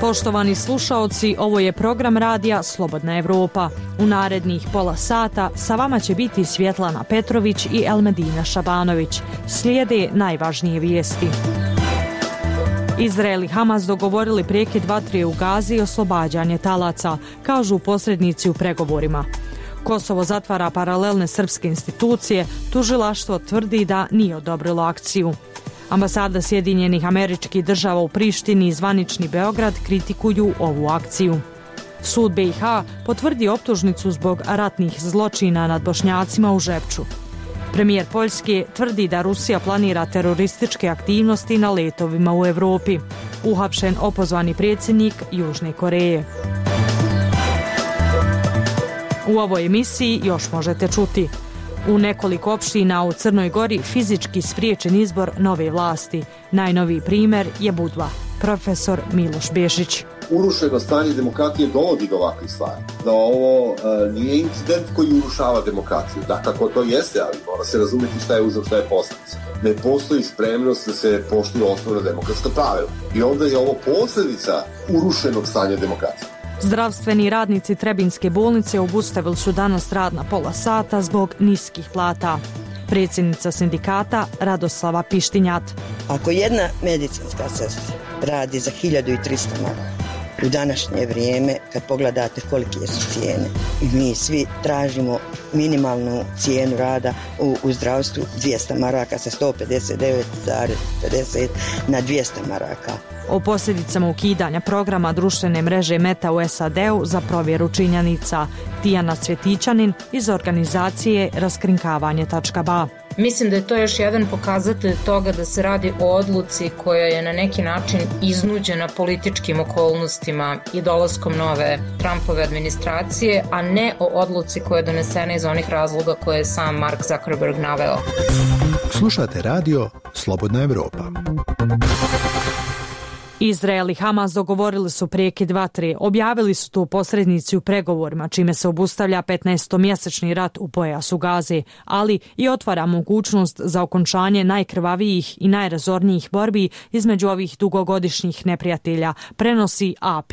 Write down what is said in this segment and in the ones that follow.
Poštovani slušaoci, ovo je program radija Slobodna Evropa. U narednih pola sata sa vama će biti Svjetlana Petrović i Elmedina Šabanović. Slijede najvažnije vijesti. Izrael i Hamas dogovorili prekid vatre u Gazi i oslobađanje talaca, kažu posrednici u pregovorima. Kosovo zatvara paralelne srpske institucije, tužilaštvo tvrdi da nije odobrilo akciju. Ambasada Sjedinjenih Američkih Država u Prištini i zvanični Beograd kritikuju ovu akciju. Sud BiH potvrdi optužnicu zbog ratnih zločina nad Bošnjacima u Žepču. Premijer Poljske tvrdi da Rusija planira terorističke aktivnosti na letovima u Evropi. Uhapšen opozvani predsjednik Južne Koreje. U ovoj emisiji još možete čuti: u nekoliko opština u Crnoj Gori fizički spriječen izbor nove vlasti. Najnoviji primjer je Budva. Profesor Miloš Bešić. Urušeno stanje demokratije dovodi do ovakvih stvari. Da ovo nije incident koji urušava demokraciju. Dakako to jeste, ali mora se razumjeti šta je uzrok, šta je posljedica. Ne postoji spremnost da se poštuju osnovna demokratska pravila. I onda je ovo posljedica urušenog stanja demokracije. Zdravstveni radnici Trebinjske bolnice obustavili su danas rad na pola sata zbog niskih plata. Predsjednica sindikata Radoslava Pištinjat. Ako jedna medicinska sestra radi za 1300 maraka, u današnje vrijeme, kad pogledate kolike su cijene, i mi svi tražimo minimalnu cijenu rada u zdravstvu 200 maraka sa 159,50 na 200 maraka. O posljedicama ukidanja programa društvene mreže Meta u SAD-u za provjeru činjenica. Tijana Cvjetićanin iz organizacije raskrinkavanje.ba. Mislim da je to još jedan pokazatelj toga da se radi o odluci koja je na neki način iznuđena političkim okolnostima i dolaskom nove Trumpove administracije, a ne o odluci koja je donesena iz onih razloga koje je sam Mark Zuckerberg naveo. Slušate radio Slobodna Evropa. Izrael i Hamas dogovorili su prekid vatre. Objavili su to posrednici u pregovorima, čime se obustavlja 15-mjesečni rat u pojasu Gaze, ali i otvara mogućnost za okončanje najkrvavijih i najrazornijih borbi između ovih dugogodišnjih neprijatelja, prenosi AP.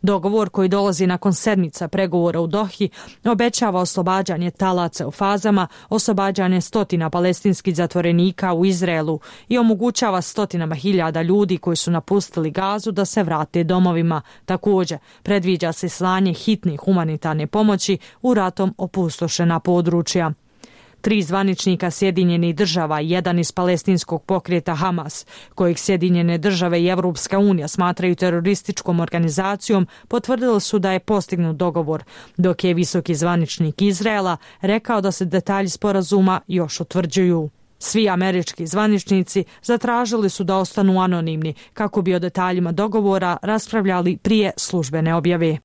Dogovor koji dolazi nakon sedmica pregovora u Dohi obećava oslobađanje talaca u fazama, oslobađanje stotina palestinskih zatvorenika u Izraelu i omogućava stotinama hiljada ljudi koji su napustili Gazu da se vrate domovima. Također, predviđa se slanje hitne humanitarne pomoći u ratom opustošena područja. 3 zvaničnika Sjedinjenih država i jedan iz palestinskog pokreta Hamas, kojeg Sjedinjene države i Evropska unija smatraju terorističkom organizacijom, potvrdili su da je postignut dogovor, dok je visoki zvaničnik Izraela rekao da se detalji sporazuma još utvrđuju. Svi američki zvaničnici zatražili su da ostanu anonimni kako bi o detaljima dogovora raspravljali prije službene objave.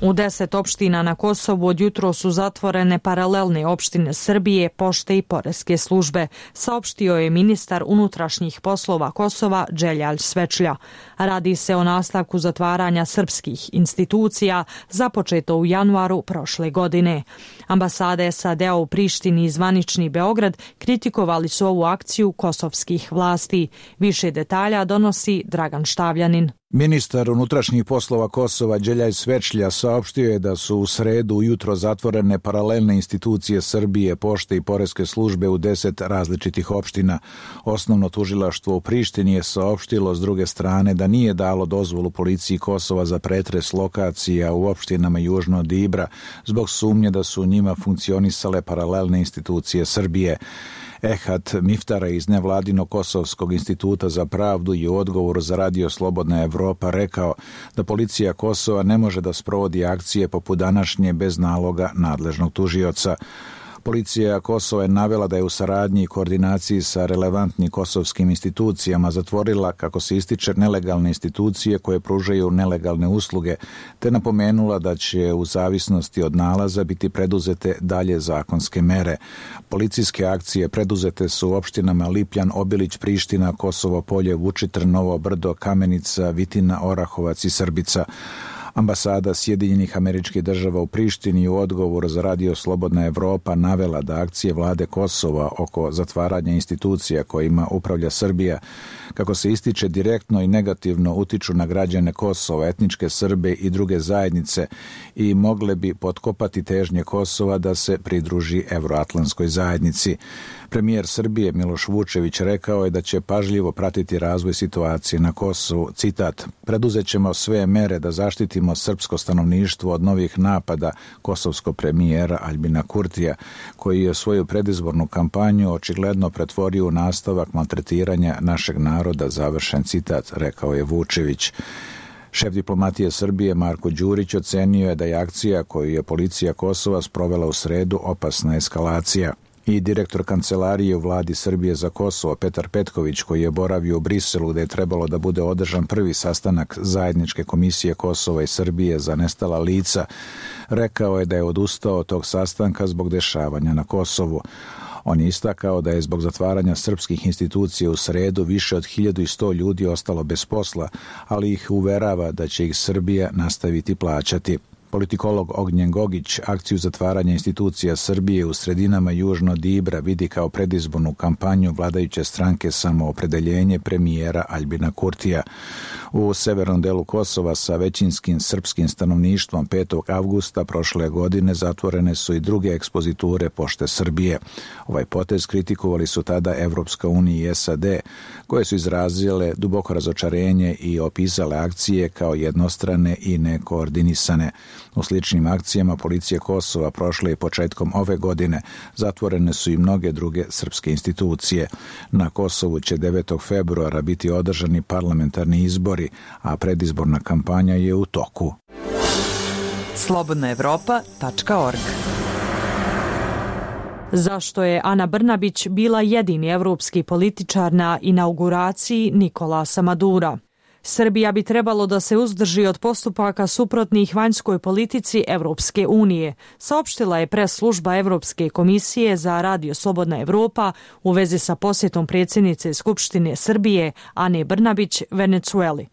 U 10 opština na Kosovu od jutro su zatvorene paralelne opštine Srbije, pošte i poreske službe, saopštio je ministar unutrašnjih poslova Kosova Đeljalj Svečlja. Radi se o nastavku zatvaranja srpskih institucija započeto u januaru prošle godine. Ambasade SAD-a u Prištini i zvanični Beograd kritikovali su ovu akciju kosovskih vlasti. Više detalja donosi Dragan Štavljanin. Ministar unutrašnjih poslova Kosova Đeljalj Svečlja saopštio je da su u sredu ujutro zatvorene paralelne institucije Srbije, pošte i poreske službe u 10 različitih opština. Osnovno tužilaštvo u Prištini je saopštilo s druge strane da nije dalo dozvolu policiji Kosova za pretres lokacija u opštinama južno od Ibra zbog sumnje da su u njima funkcionisale paralelne institucije Srbije. Ehat Miftara iz nevladinog Kosovskog instituta za pravdu je u odgovoru za radio Slobodna Evropa rekao da policija Kosova ne može da sprovodi akcije poput današnje bez naloga nadležnog tužioca. Policija Kosova je navela da je u saradnji i koordinaciji sa relevantnim kosovskim institucijama zatvorila, kako se ističe, nelegalne institucije koje pružaju nelegalne usluge, te napomenula da će u zavisnosti od nalaza biti preduzete dalje zakonske mere. Policijske akcije preduzete su u opštinama Lipljan, Obilić, Priština, Kosovo Polje, Vučitr, Novo Brdo, Kamenica, Vitina, Orahovac i Srbica. Ambasada Sjedinjenih Američkih Država u Prištini u odgovoru za Radio Slobodna Evropa navela da akcije vlade Kosova oko zatvaranja institucija kojima upravlja Srbija, kako se ističe, direktno i negativno utiču na građane Kosova, etničke Srbe i druge zajednice i mogle bi potkopati težnje Kosova da se pridruži evroatlantskoj zajednici. Premijer Srbije Miloš Vučević rekao je da će pažljivo pratiti razvoj situacije na Kosovu. Citat: "Preduzet ćemo sve mere da zaštitimo srpsko stanovništvo od novih napada", kosovskog premijera Aljbina Kurtija, koji je svoju predizbornu kampanju očigledno pretvorio u nastavak maltretiranja našeg naroda, završen citat, rekao je Vučević. Šef diplomatije Srbije Marko Đurić ocenio je da je akcija koju je policija Kosova sprovela u sredu opasna eskalacija. I direktor kancelarije u vladi Srbije za Kosovo Petar Petković, koji je boravio u Briselu gde je trebalo da bude održan prvi sastanak zajedničke komisije Kosova i Srbije za nestala lica, rekao je da je odustao od tog sastanka zbog dešavanja na Kosovu. On je istakao da je zbog zatvaranja srpskih institucija u sredu više od 1100 ljudi ostalo bez posla, ali ih uverava da će ih Srbija nastaviti plaćati. Politikolog Ognjen Gogić akciju zatvaranja institucija Srbije u sredinama južno od Ibra vidi kao predizbornu kampanju vladajuće stranke Samoopredeljenje premijera Aljbina Kurtija. U severnom delu Kosova sa većinskim srpskim stanovništvom 5. avgusta prošle godine zatvorene su i druge ekspoziture Pošte Srbije. Ovaj potez kritikovali su tada Evropska unija i SAD, koje su izrazile duboko razočarenje i opisale akcije kao jednostrane i nekoordinisane. U sličnim akcijama policije Kosova prošle i početkom ove godine zatvorene su i mnoge druge srpske institucije. Na Kosovu će 9. februara biti održani parlamentarni izbori, a predizborna kampanja je u toku. slobodnaevropa.org. Zašto je Ana Brnabić bila jedini evropski političar na inauguraciji Nikolasa Madura? Srbija bi trebalo da se uzdrži od postupaka suprotnih vanjskoj politici Evropske unije, saopštila je pres služba Evropske komisije za Radio Slobodna Evropa u vezi sa posjetom predsjednice Skupštine Srbije Ane Brnabić Venecueli.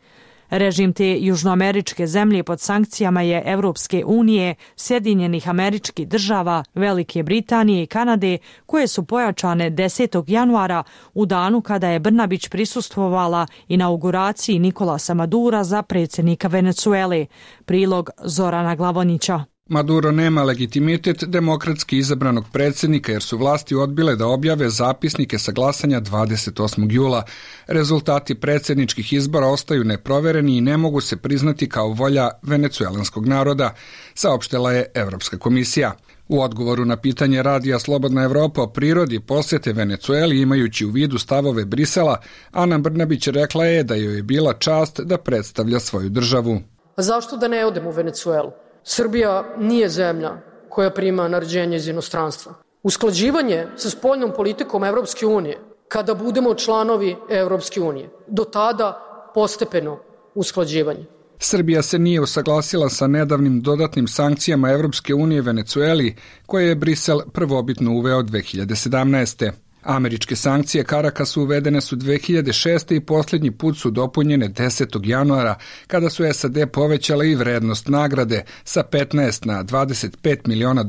Režim te južnoameričke zemlje pod sankcijama je Evropske unije, Sjedinjenih Američkih Država, Velike Britanije i Kanade, koje su pojačane 10. januara u danu kada je Brnabić prisustvovala inauguraciji Nikolasa Madura za predsjednika Venecuele. Prilog Zorana Glavonića. Maduro nema legitimitet demokratski izabranog predsjednika jer su vlasti odbile da objave zapisnike sa glasanja 28. jula. Rezultati predsjedničkih izbora ostaju neprovereni i ne mogu se priznati kao volja venecuelanskog naroda, saopštila je Evropska komisija. U odgovoru na pitanje Radija Slobodna Evropa o prirodi posjete Venecueli imajući u vidu stavove Brisela, Ana Brnabić rekla je da joj je bila čast da predstavlja svoju državu. Zašto da ne odem u Venecuelu? Srbija nije zemlja koja prima naređenje iz inostranstva. Usklađivanje sa spoljnom politikom Evropske unije, kada budemo članovi Evropske unije, do tada postepeno usklađivanje. Srbija se nije usaglasila sa nedavnim dodatnim sankcijama Evropske unije Venecueli, koje je Brisel prvobitno uveo 2017. Američke sankcije Karakasu uvedene su 2006. i posljednji put su dopunjene 10. januara, kada su SAD povećale i vrednost nagrade sa 15 na $25 miliona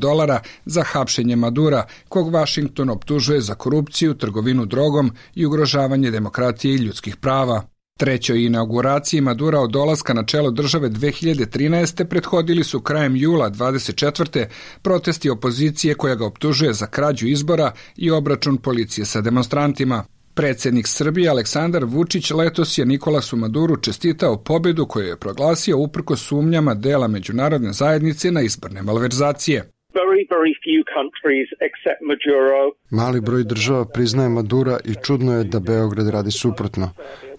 za hapšenje Madura, kog Vašington optužuje za korupciju, trgovinu drogom i ugrožavanje demokratije i ljudskih prava. Trećoj inauguraciji Madura od dolaska na čelo države 2013. prethodili su krajem jula 24. protesti opozicije koja ga optužuje za krađu izbora i obračun policije sa demonstrantima. Predsjednik Srbije Aleksandar Vučić letos je Nikolasu Maduru čestitao pobjedu koju je proglasio uprkos sumnjama dela međunarodne zajednice na izborne malverzacije. Mali broj država priznaje Madura i čudno je da Beograd radi suprotno.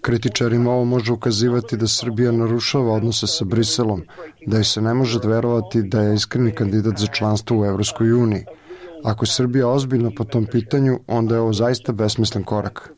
Kritičarima ovo može ukazivati da Srbija narušava odnose sa Briselom, da joj se ne može verovati da je iskreni kandidat za članstvo u Evropskoj uniji. Ako je Srbija ozbiljna po tom pitanju, onda je ovo zaista besmislen korak.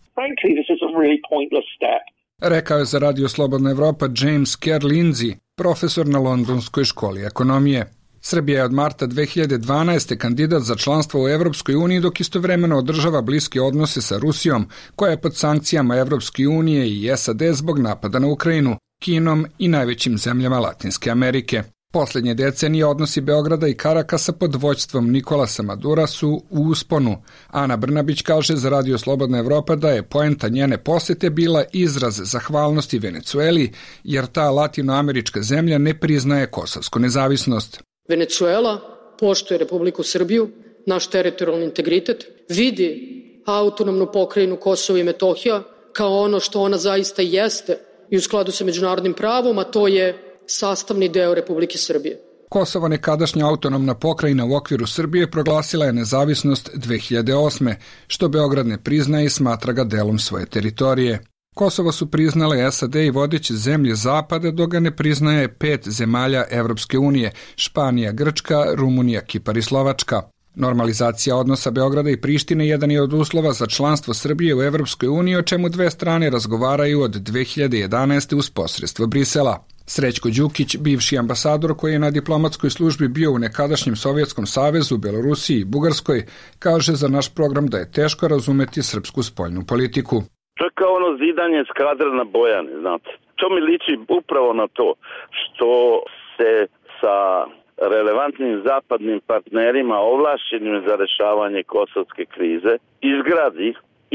Rekao je za Radio Slobodna Evropa James Kerr Lindsay, profesor na Londonskoj školi ekonomije. Srbija je od marta 2012. kandidat za članstvo u Evropskoj uniji, dok istovremeno održava bliske odnose sa Rusijom, koja je pod sankcijama Evropske unije i SAD zbog napada na Ukrajinu. Kinom i najvećim zemljama Latinske Amerike. Posljednje decenije odnosi Beograda i Karakasa pod vođstvom Nikolasa Madura su u usponu. Ana Brnabić kaže za Radio Slobodna Evropa da je poenta njene posete bila izraz zahvalnosti Venecueli, jer ta latinoamerička zemlja ne priznaje kosovsku nezavisnost. Venecuela poštuje Republiku Srbiju, naš teritorijalni integritet, vidi autonomnu pokrajinu Kosovo i Metohija kao ono što ona zaista jeste i u skladu sa međunarodnim pravom, a to je sastavni deo Republike Srbije. Kosovo, nekadašnja autonomna pokrajina u okviru Srbije, proglasila je nezavisnost 2008. što Beograd ne priznaje i smatra ga delom svoje teritorije. Kosovo su priznale SAD i vodeće zemlje Zapada, dok ga ne priznaje 5 zemalja Evropske unije, Španija, Grčka, Rumunija, Kipar i Slovačka. Normalizacija odnosa Beograda i Prištine jedan je od uslova za članstvo Srbije u Evropskoj uniji, o čemu dve strane razgovaraju od 2011. uz posredstvo Brisela. Srećko Đukić, bivši ambasador koji je na diplomatskoj službi bio u nekadašnjem Sovjetskom savezu, Belorusiji i Bugarskoj, kaže za naš program da je teško razumeti srpsku spoljnu politiku. To je kao ono zidanje eskadre na Bojani, znate. To mi liči upravo na to što se sa relevantnim zapadnim partnerima ovlašćenim za rešavanje kosovske krize izgradi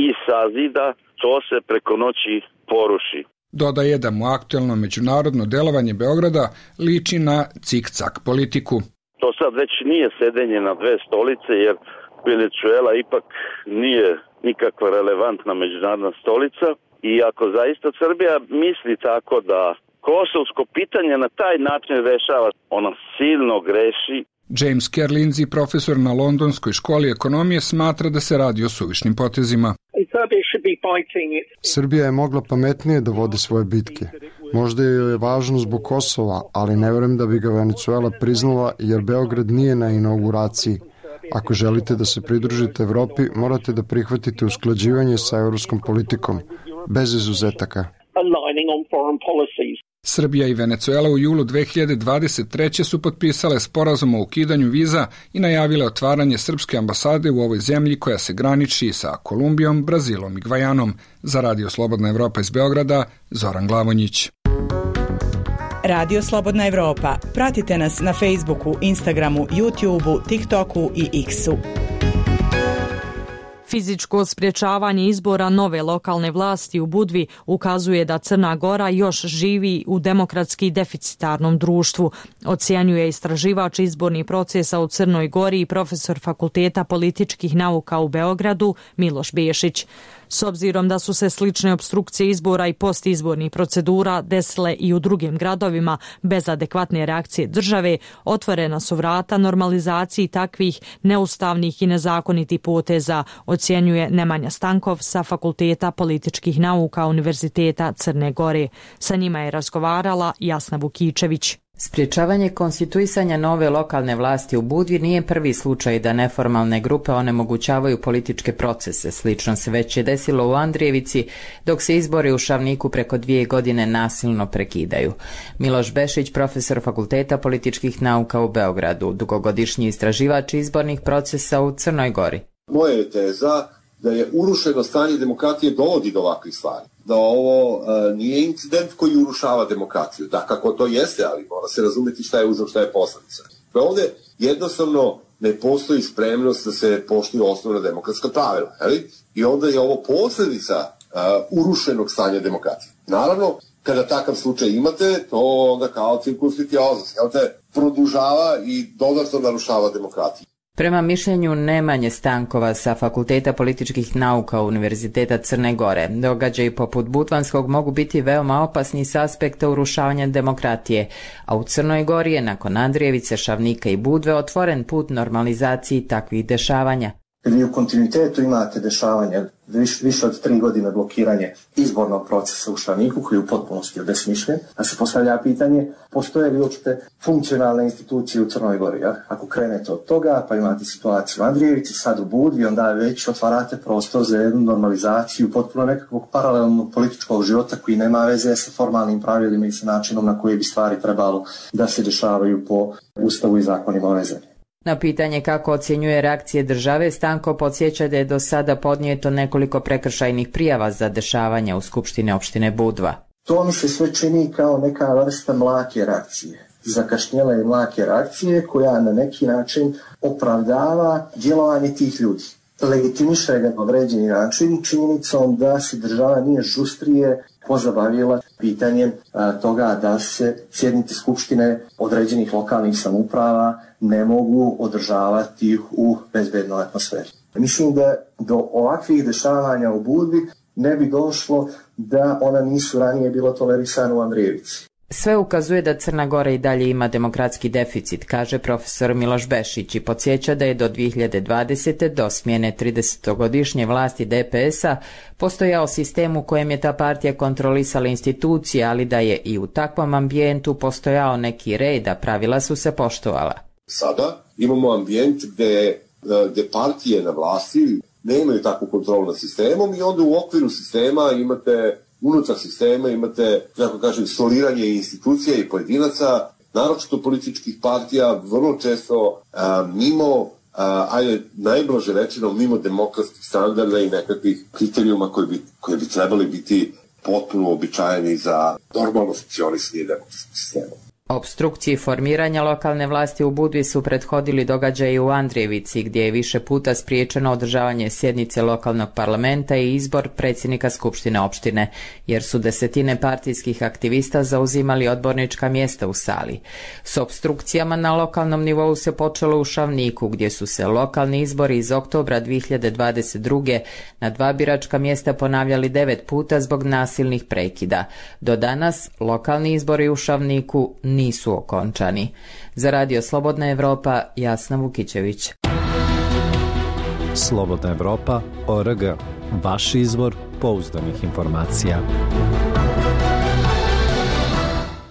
i sazida, to se preko noći poruši. Dodaje da mu aktuelno međunarodno delovanje Beograda liči na cik-cak politiku. To sad već nije sedenje na dve stolice, jer Venecuela ipak nije nikakva relevantna međunarodna stolica i ako zaista Srbija misli tako da kosovsko pitanje na taj način rešava, ona silno greši. James Kerlinzi, profesor na Londonskoj školi ekonomije, smatra da se radi o suvišnim potezima. Srbija je mogla pametnije da vodi svoje bitke. Možda joj je važno zbog Kosova, ali ne verujem da bi ga Venecuela priznala jer Beograd nije na inauguraciji. Ako želite da se pridružite Evropi, morate da prihvatite usklađivanje sa evropskom politikom, bez izuzetaka. Srbija i Venecuela u julu 2023. su potpisale sporazum o ukidanju viza i najavile otvaranje srpske ambasade u ovoj zemlji koja se graniči sa Kolumbijom, Brazilom i Gvajanom. Za Radio Slobodna Evropa iz Beograda, Zoran Glavonjić. Radio Slobodna Evropa. Pratite nas na Facebooku, Instagramu, YouTubeu, TikToku i X-u. Fizičko sprječavanje izbora nove lokalne vlasti u Budvi ukazuje da Crna Gora još živi u demokratski deficitarnom društvu, ocjenjuje istraživač izbornih procesa u Crnoj Gori i profesor Fakulteta političkih nauka u Beogradu Miloš Bešić. S obzirom da su se slične opstrukcije izbora i postizbornih procedura desile i u drugim gradovima bez adekvatne reakcije države, otvorena su vrata normalizaciji takvih neustavnih i nezakonitih poteza, ocjenjuje Nemanja Stankov sa Fakulteta političkih nauka Univerziteta Crne Gore. Sa njima je razgovarala Jasna Vukičević. Sprječavanje konstituisanja nove lokalne vlasti u Budvi nije prvi slučaj da neformalne grupe onemogućavaju političke procese. Slično se već je desilo u Andrijevici, dok se izbori u Šavniku preko 2 godine nasilno prekidaju. Miloš Bešić, profesor Fakulteta političkih nauka u Beogradu, dugogodišnji istraživač izbornih procesa u Crnoj Gori. Moja je teza da je urušeno stanje demokratije dovodi do ovakvih stvari. Da ovo nije incident koji urušava demokraciju. Da, kako to jeste, ali mora se razumjeti šta je uzrok, šta je posledica. Ovdje jednostavno ne postoji spremnost da se poštuju osnovna demokratska pravila. I onda je ovo posljedica urušenog stanja demokratije. Naravno, kada takav slučaj imate, to onda kao cirkus vitiozas, produžava i dodatno narušava demokratiju. Prema mišljenju Nemanje Stankova sa Fakulteta političkih nauka Univerziteta Crne Gore, događaji poput Budvanskog mogu biti veoma opasni s aspekta urušavanja demokratije, a u Crnoj Gori je nakon Andrijevice, Šavnika i Budve otvoren put normalizaciji takvih dešavanja. Vi u kontinuitetu imate dešavanje više od 3 godine blokiranje izbornog procesa u Šavniku koji je u potpunosti obesmišljen. A se postavlja pitanje, postoje li uopšte funkcionalne institucije u Crnoj Gori? Ja? Ako krenete od toga, pa imate situaciju u Andrijevici, sad u Budvi, onda već otvarate prostor za jednu normalizaciju potpuno nekakvog paralelnog političkog života koji nema veze sa formalnim pravilima i sa načinom na koji bi stvari trebalo da se dešavaju po Ustavu i zakonima ove zemlje. Na pitanje kako ocjenjuje reakcije države, Stanko podsjeća da je do sada podnijeto nekoliko prekršajnih prijava za dešavanja u Skupštini opštine Budva. To mi se sve čini kao neka vrsta mlake reakcije. Zakašnjele i mlake reakcije koja na neki način opravdava djelovanje tih ljudi. Legitimiše ga na određeni način činjenicom da se država nije žustrije pozabavila pitanjem toga da se sjednice skupštine određenih lokalnih samouprava ne mogu održavati u bezbednoj atmosferi. Mislim da do ovakvih dešavanja u Budvi ne bi došlo da ona nisu ranije bilo tolerisana u Andrijevici. Sve ukazuje da Crna Gora i dalje ima demokratski deficit, kaže profesor Miloš Bešić i podsjeća da je do 2020. do smjene 30-godišnje vlasti DPS-a postojao sistem u kojem je ta partija kontrolisala institucije, ali da je i u takvom ambijentu postojao neki red, a pravila su se poštovala. Sada imamo ambijent gde partije na vlasti nemaju takvu kontrolu nad sistemom i onda u okviru sistema unutar sistema imate, kako kažem, soliranje institucija i pojedinaca, naročito političkih partija, vrlo često mimo, najblaže rečeno, mimo demokratskih standarda i nekakvih kriterijuma koji bi trebali biti potpuno običajeni za normalno funkcionisanje demokratskog sistema. Opstrukciji formiranja lokalne vlasti u Budvi su prethodili događaji u Andrijevici, gdje je više puta spriječeno održavanje sjednice lokalnog parlamenta i izbor predsjednika skupštine opštine, jer su desetine partijskih aktivista zauzimali odbornička mjesta u sali. S opstrukcijama na lokalnom nivou se počelo u Šavniku, gdje su se lokalni izbori iz oktobra 2022. na 2 biračka mjesta ponavljali 9 puta zbog nasilnih prekida. Do danas lokalni izbori u Šavniku nisu okončani. Za Radio Slobodna Evropa, Jasna Vukićević. Slobodna Evropa.org. Vaš izvor pouzdanih informacija.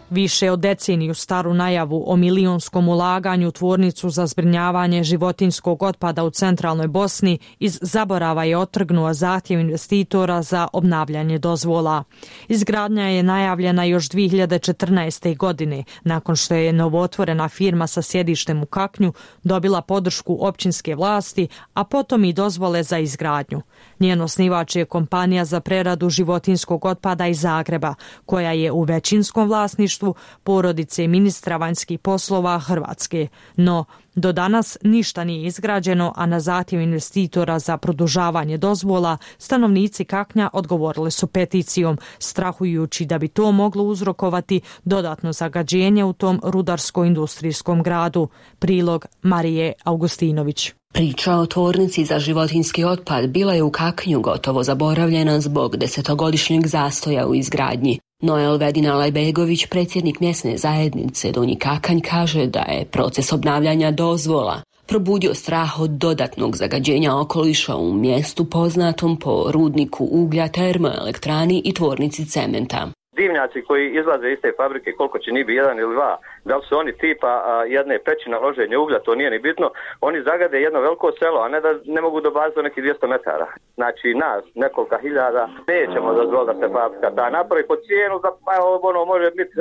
Više od deceniju staru najavu o milionskom ulaganju u tvornicu za zbrinjavanje životinjskog otpada u centralnoj Bosni iz zaborava je otrgnuo zahtjev investitora za obnavljanje dozvola. Izgradnja je najavljena još 2014. godine, nakon što je novootvorena firma sa sjedištem u Kaknju dobila podršku općinske vlasti, a potom i dozvole za izgradnju. Njen osnivač je kompanija za preradu životinjskog otpada iz Zagreba, koja je u većinskom vlasništvu porodice ministra vanjskih poslova Hrvatske. No, do danas ništa nije izgrađeno, a na zahtjev investitora za produžavanje dozvola stanovnici Kaknja odgovorili su peticijom, strahujući da bi to moglo uzrokovati dodatno zagađenje u tom rudarsko-industrijskom gradu. Prilog Marije Augustinović. Priča o tvornici za životinjski otpad bila je u Kaknju gotovo zaboravljena zbog 10-godišnjeg zastoja u izgradnji. Noel Vedina-Lajbegović, predsjednik mjesne zajednice Donji Kakanj, kaže da je proces obnavljanja dozvola probudio strah od dodatnog zagađenja okoliša u mjestu poznatom po rudniku uglja, termoelektrani i tvornici cementa. Dimnjaci koji izlaze iz te fabrike, koliko će ni biti, 1 ili 2, da li su oni tipa jedne peći na loženje uglja, to nije ni bitno, oni zagade jedno veliko selo, a ne da ne mogu dobaziti do nekih 200 metara. Znači nas, nekoliko hiljada, nećemo dozvoliti da se fabrika ta napravi po cijenu, da može biti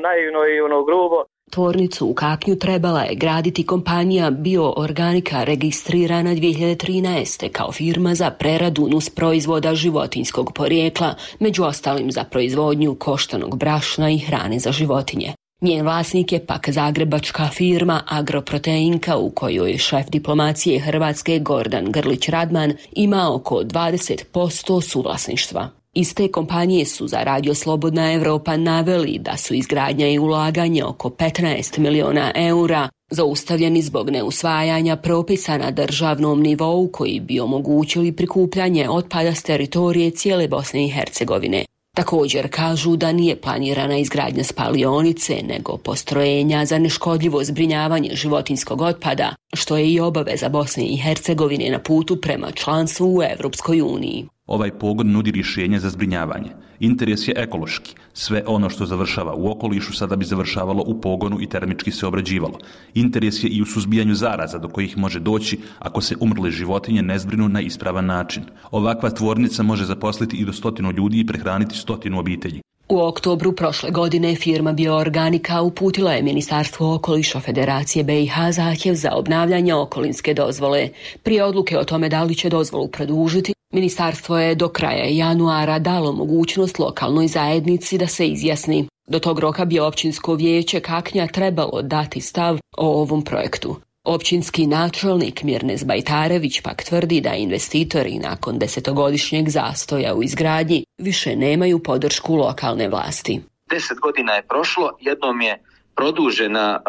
naivno i grubo. Tvornicu u Kaknju trebala je graditi kompanija Bioorganika, registrirana 2013. kao firma za preradu nusproizvoda životinjskog porijekla, među ostalim za proizvodnju koštanog brašna i hrane za životinje. Njen vlasnik je pak zagrebačka firma Agroproteinka, u kojoj šef diplomacije Hrvatske Gordan Grlić-Radman ima oko 20% suvlasništva. Iz te kompanije su za Radio Slobodna Evropa naveli da su izgradnja i ulaganje oko 15 miliona eura zaustavljeni zbog neusvajanja propisa na državnom nivou koji bi omogućili prikupljanje otpada s teritorije cijele Bosne i Hercegovine. Također kažu da nije planirana izgradnja spalionice, nego postrojenja za neškodljivo zbrinjavanje životinjskog otpada, što je i obaveza Bosne i Hercegovine na putu prema članstvu u Evropskoj uniji. Ovaj pogon nudi rješenje za zbrinjavanje. Interes je ekološki. Sve ono što završava u okolišu sada bi završavalo u pogonu i termički se obrađivalo. Interes je i u suzbijanju zaraza do kojih može doći ako se umrle životinje ne zbrinu na ispravan način. Ovakva tvornica može zaposliti i do 100 ljudi i prehraniti 100 obitelji. U oktobru prošle godine firma Bioorganika uputila je Ministarstvo okoliša Federacije BiH zahtjev za obnavljanje okolinske dozvole. Prije odluke o tome da li će dozvolu produžiti, Ministarstvo je do kraja januara dalo mogućnost lokalnoj zajednici da se izjasni. Do tog roka bi općinsko vijeće Kaknja trebalo dati stav o ovom projektu. Općinski načelnik Mirnes Bajtarević pak tvrdi da investitori nakon 10-godišnjeg zastoja u izgradnji više nemaju podršku lokalne vlasti. 10 godina je prošlo, jednom je produžena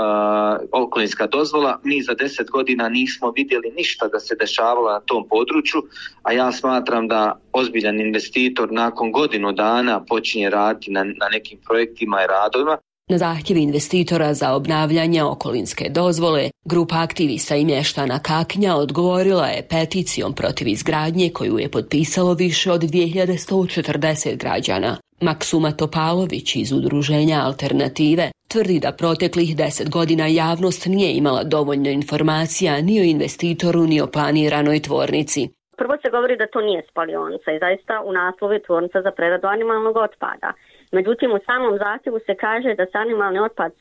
okolinska dozvola, mi za 10 godina nismo vidjeli ništa da se dešavalo na tom području, a ja smatram da ozbiljan investitor nakon godinu dana počinje raditi na nekim projektima i radovima. Na zahtjev investitora za obnavljanje okolinske dozvole, grupa aktivista i mještana Kaknja odgovorila je peticijom protiv izgradnje koju je potpisalo više od 2140 građana. Maksuma Topalović iz udruženja Alternative tvrdi da proteklih 10 godina javnost nije imala dovoljno informacija ni o investitoru ni o planiranoj tvornici. Prvo se govori da to nije spalionica i zaista u naslovu je tvornica za preradu animalnog otpada. Međutim, u samom zahtjevu se kaže da se animalni otpad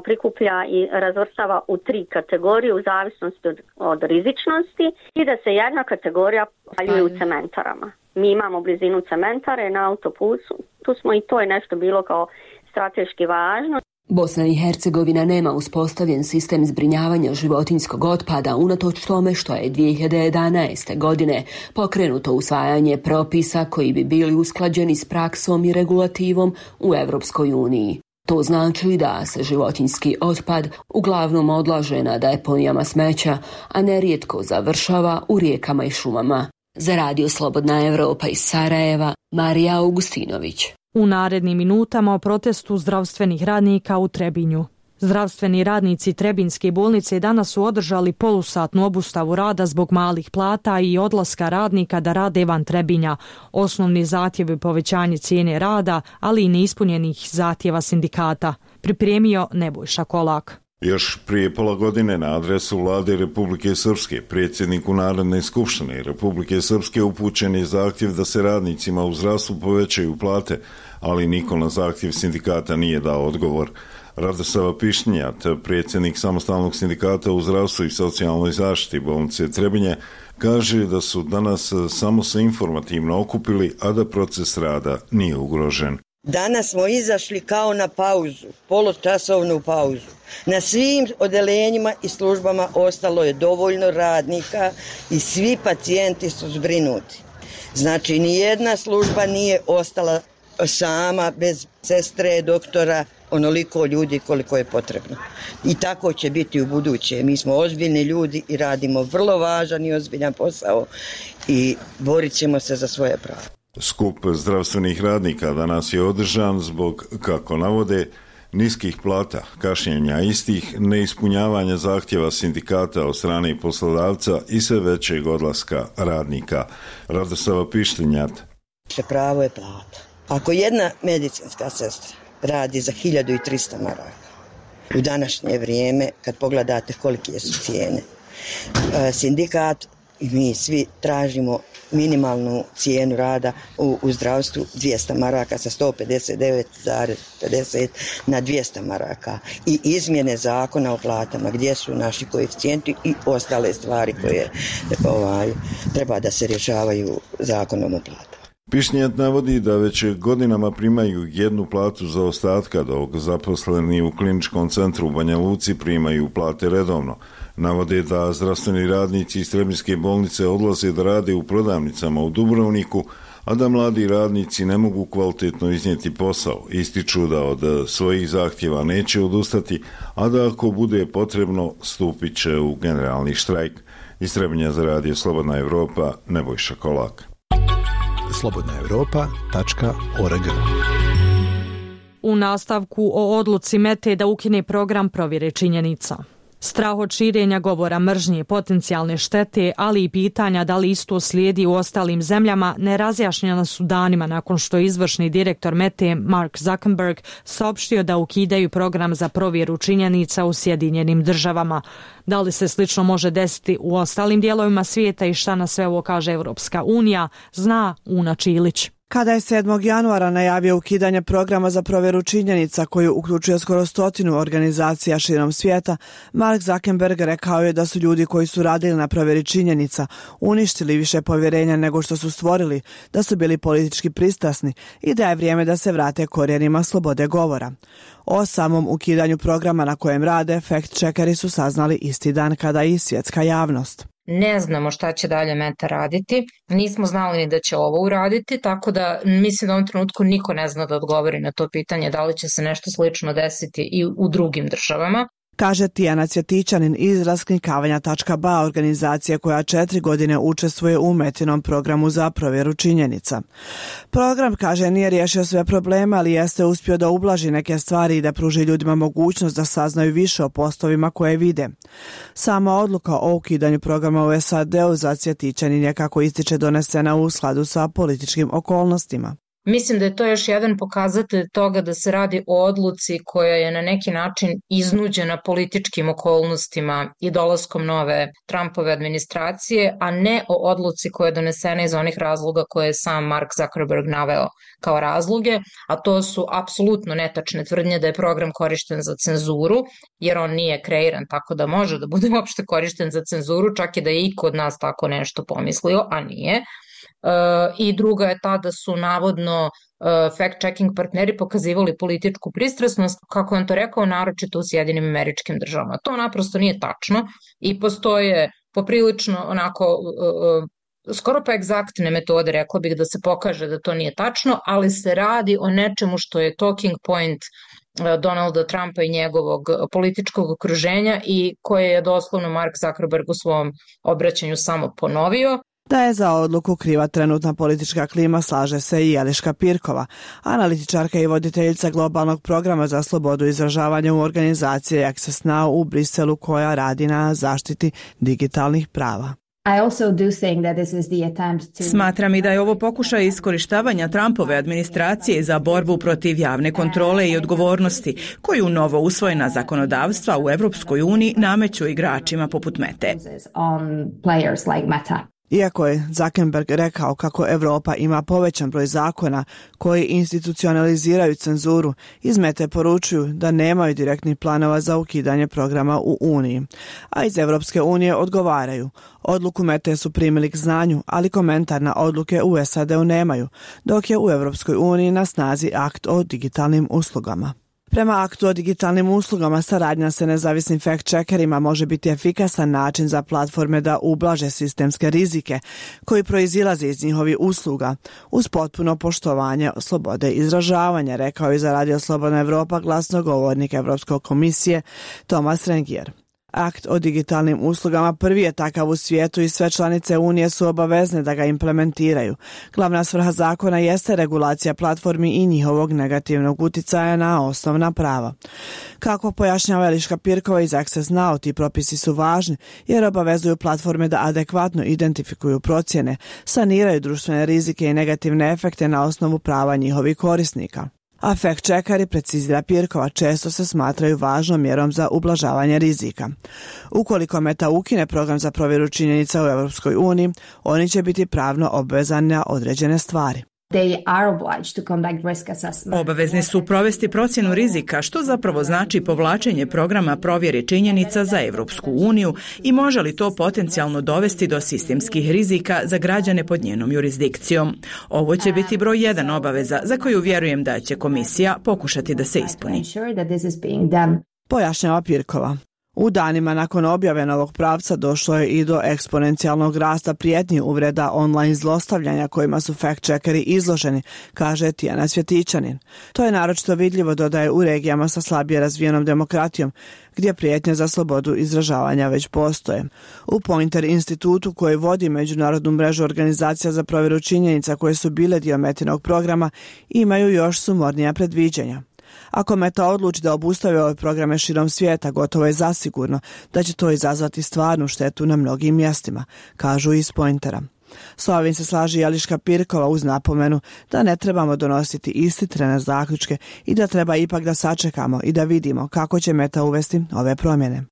prikuplja i razvrstava u 3 kategorije u zavisnosti od rizičnosti i da se jedna kategorija spaljuje u cementarama. Mi imamo blizinu cementare na autoputu, tu smo i to je nešto bilo kao strateški važno. Bosna i Hercegovina nema uspostavljen sistem zbrinjavanja životinjskog otpada unatoč tome što je 2011. godine pokrenuto usvajanje propisa koji bi bili usklađeni s praksom i regulativom u Europskoj uniji. To znači da se životinjski otpad uglavnom odlaže na deponijama smeća, a nerijetko završava u rijekama i šumama. Za Radio Slobodna Evropa iz Sarajeva, Marija Augustinović. U narednim minutama o protestu zdravstvenih radnika u Trebinju. Zdravstveni radnici Trebinjske bolnice danas su održali polusatnu obustavu rada zbog malih plata i odlaska radnika da rade van Trebinja. Osnovni zahtjev je povećanje cijene rada, ali i neispunjenih zahtjeva sindikata. Pripremio Nebojša Kolak. Još prije pola godine na adresu vlade Republike Srpske, predsjedniku Narodne skupštine Republike Srpske upućen je zahtjev da se radnicima u zdravstvu povećaju plate, ali niko na zahtjev sindikata nije dao odgovor. Radosava Pišnjat, predsjednik samostalnog sindikata u zdravstvu i socijalnoj zaštiti bolnice Trebinje, kaže da su danas samo se informativno okupili, a da proces rada nije ugrožen. Danas smo izašli kao na pauzu, poločasovnu pauzu. Na svim odeljenjima i službama ostalo je dovoljno radnika i svi pacijenti su zbrinuti. Znači, nijedna služba nije ostala sama, bez sestre, doktora, onoliko ljudi koliko je potrebno. I tako će biti u buduće. Mi smo ozbiljni ljudi i radimo vrlo važan i ozbiljan posao i borit ćemo se za svoje pravo. Skup zdravstvenih radnika danas je održan zbog, kako navode, niskih plata, kašnjenja istih, neispunjavanja zahtjeva sindikata od strane poslodavca i sve većeg odlaska radnika. Radosava Pištinjat. Pravo je plata. Ako jedna medicinska sestra radi za 1300 maraka, u današnje vrijeme, kad pogledate kolike su cijene, sindikat i mi svi tražimo minimalnu cijenu rada u zdravstvu 200 maraka sa 159,50 na 200 maraka i izmjene zakona o platama gdje su naši koeficijenti i ostale stvari koje treba da se rješavaju zakonom o platama. Pišnjat navodi da već godinama primaju jednu platu za ostatka, dok zaposleni u kliničkom centru u Banja Luci primaju plate redovno. Navode da zdravstveni radnici iz Trebinjske bolnice odlaze da rade u prodavnicama u Dubrovniku, a da mladi radnici ne mogu kvalitetno iznijeti posao. Ističu da od svojih zahtjeva neće odustati, a da ako bude potrebno stupit će u generalni štrajk. Iz Trebinja za Radio Slobodna Evropa, Nebojša Kolak. slobodnaevropa.org. U nastavku o odluci Mete da ukine program provjere činjenica. Strah od širenja govora mržnje, potencijalne štete, ali i pitanja da li isto slijedi u ostalim zemljama, nerazjašnjena su danima nakon što je izvršni direktor Mete Mark Zuckerberg saopštio da ukidaju program za provjeru činjenica u Sjedinjenim Državama. Da li se slično može desiti u ostalim dijelovima svijeta i šta na sve ovo kaže Europska unija, zna Una Čilić. Kada je 7. januara najavio ukidanje programa za provjeru činjenica koju uključuje skoro 100 organizacija širom svijeta, Mark Zuckerberg rekao je da su ljudi koji su radili na provjeri činjenica uništili više povjerenja nego što su stvorili, da su bili politički pristrasni i da je vrijeme da se vrate korijenima slobode govora. O samom ukidanju programa na kojem rade, fact-checkeri su saznali isti dan kada i svjetska javnost. Ne znamo šta će dalje Meta raditi, nismo znali ni da će ovo uraditi, tako da mislim da u ovom trenutku niko ne zna da odgovori na to pitanje da li će se nešto slično desiti i u drugim državama. Kaže Tijana Cvjetićanin iz raskrinkavanja.ba, organizacije koja 4 godine učestvuje u Metinom programu za provjeru činjenica. Program, kaže, nije riješio sve probleme, ali jeste uspio da ublaži neke stvari i da pruži ljudima mogućnost da saznaju više o poslovima koje vide. Sama odluka o ukidanju programa u SAD-u za Cvjetićanin je, kako ističe, donesena u skladu sa političkim okolnostima. Mislim da je to još jedan pokazatelj toga da se radi o odluci koja je na neki način iznuđena političkim okolnostima i dolaskom nove Trumpove administracije, a ne o odluci koja je donesena iz onih razloga koje je sam Mark Zuckerberg naveo kao razloge, a to su apsolutno netačne tvrdnje da je program korišten za cenzuru, jer on nije kreiran tako da može da bude uopšte korišten za cenzuru, čak i da je iko od nas tako nešto pomislio, a nije. I druga je ta da su navodno fact-checking partneri pokazivali političku pristrasnost, kako je on to rekao, naročito u Sjedinim Američkim Državama. To naprosto nije tačno i postoje poprilično onako skoro pa egzaktne metode, rekla bih, da se pokaže da to nije tačno, ali se radi o nečemu što je talking point Donalda Trumpa i njegovog političkog okruženja i koje je doslovno Mark Zuckerberg u svom obraćanju samo ponovio. Da je za odluku kriva trenutna politička klima, slaže se i Eliška Pirkova, analitičarka i voditeljica globalnog programa za slobodu izražavanja u organizaciji Access Now u Briselu, koja radi na zaštiti digitalnih prava. Smatram i da je ovo pokušaj iskorištavanja Trumpove administracije za borbu protiv javne kontrole i odgovornosti, koju novo usvojena zakonodavstva u Evropskoj uniji nameću igračima poput Mete. Iako je Zuckerberg rekao kako Evropa ima povećan broj zakona koji institucionaliziraju cenzuru, iz Mete poručuju da nemaju direktnih planova za ukidanje programa u Uniji. A iz Evropske unije odgovaraju. Odluku Mete su primili k znanju, ali komentar na odluke u SAD-u nemaju, dok je u Evropskoj uniji na snazi akt o digitalnim uslugama. Prema aktu o digitalnim uslugama, saradnja sa nezavisnim fact-checkerima može biti efikasan način za platforme da ublaže sistemske rizike koji proizilaze iz njihovih usluga uz potpuno poštovanje slobode izražavanja, rekao je za Radio Slobodna Evropa glasnogovornik Evropske komisije Tomas Rengier. Akt o digitalnim uslugama prvi je takav u svijetu i sve članice Unije su obavezne da ga implementiraju. Glavna svrha zakona jeste regulacija platformi i njihovog negativnog uticaja na osnovna prava. Kako pojašnjava Eliška Pirkova iz Access Now, ti propisi su važni jer obavezuju platforme da adekvatno identifikuju procjene, saniraju društvene rizike i negativne efekte na osnovu prava njihovih korisnika. A fact-checkeri, precizira Pirkova, često se smatraju važnom mjerom za ublažavanje rizika. Ukoliko Meta ukine program za provjeru činjenica u Europskoj uniji, oni će biti pravno obvezani na određene stvari. Obavezni su provesti procjenu rizika, što zapravo znači povlačenje programa provjere činjenica za Evropsku uniju i može li to potencijalno dovesti do sistemskih rizika za građane pod njenom jurisdikcijom. Ovo će biti broj 1 obaveza za koju vjerujem da će komisija pokušati da se ispuni. Pojašnjava Pirkova. U danima nakon objave novog pravca došlo je i do eksponencijalnog rasta prijetnji uvreda online zlostavljanja kojima su fact-checkeri izloženi, kaže Tijana Cvjetićanin. To je naročito vidljivo, dodaje, u regijama sa slabije razvijenom demokratijom, gdje prijetnje za slobodu izražavanja već postoje. U Pointer institutu, koji vodi međunarodnu mrežu organizacija za provjeru činjenica koje su bile dio Metinog programa, imaju još sumornija predviđanja. Ako Meta odluči da obustavi ove programe širom svijeta, gotovo je zasigurno da će to izazvati stvarnu štetu na mnogim mjestima, kažu iz Pointera. S ovim se slaži Eliška Pirkova uz napomenu da ne trebamo donositi ishitrene zaključke i da treba ipak da sačekamo i da vidimo kako će Meta uvesti ove promjene.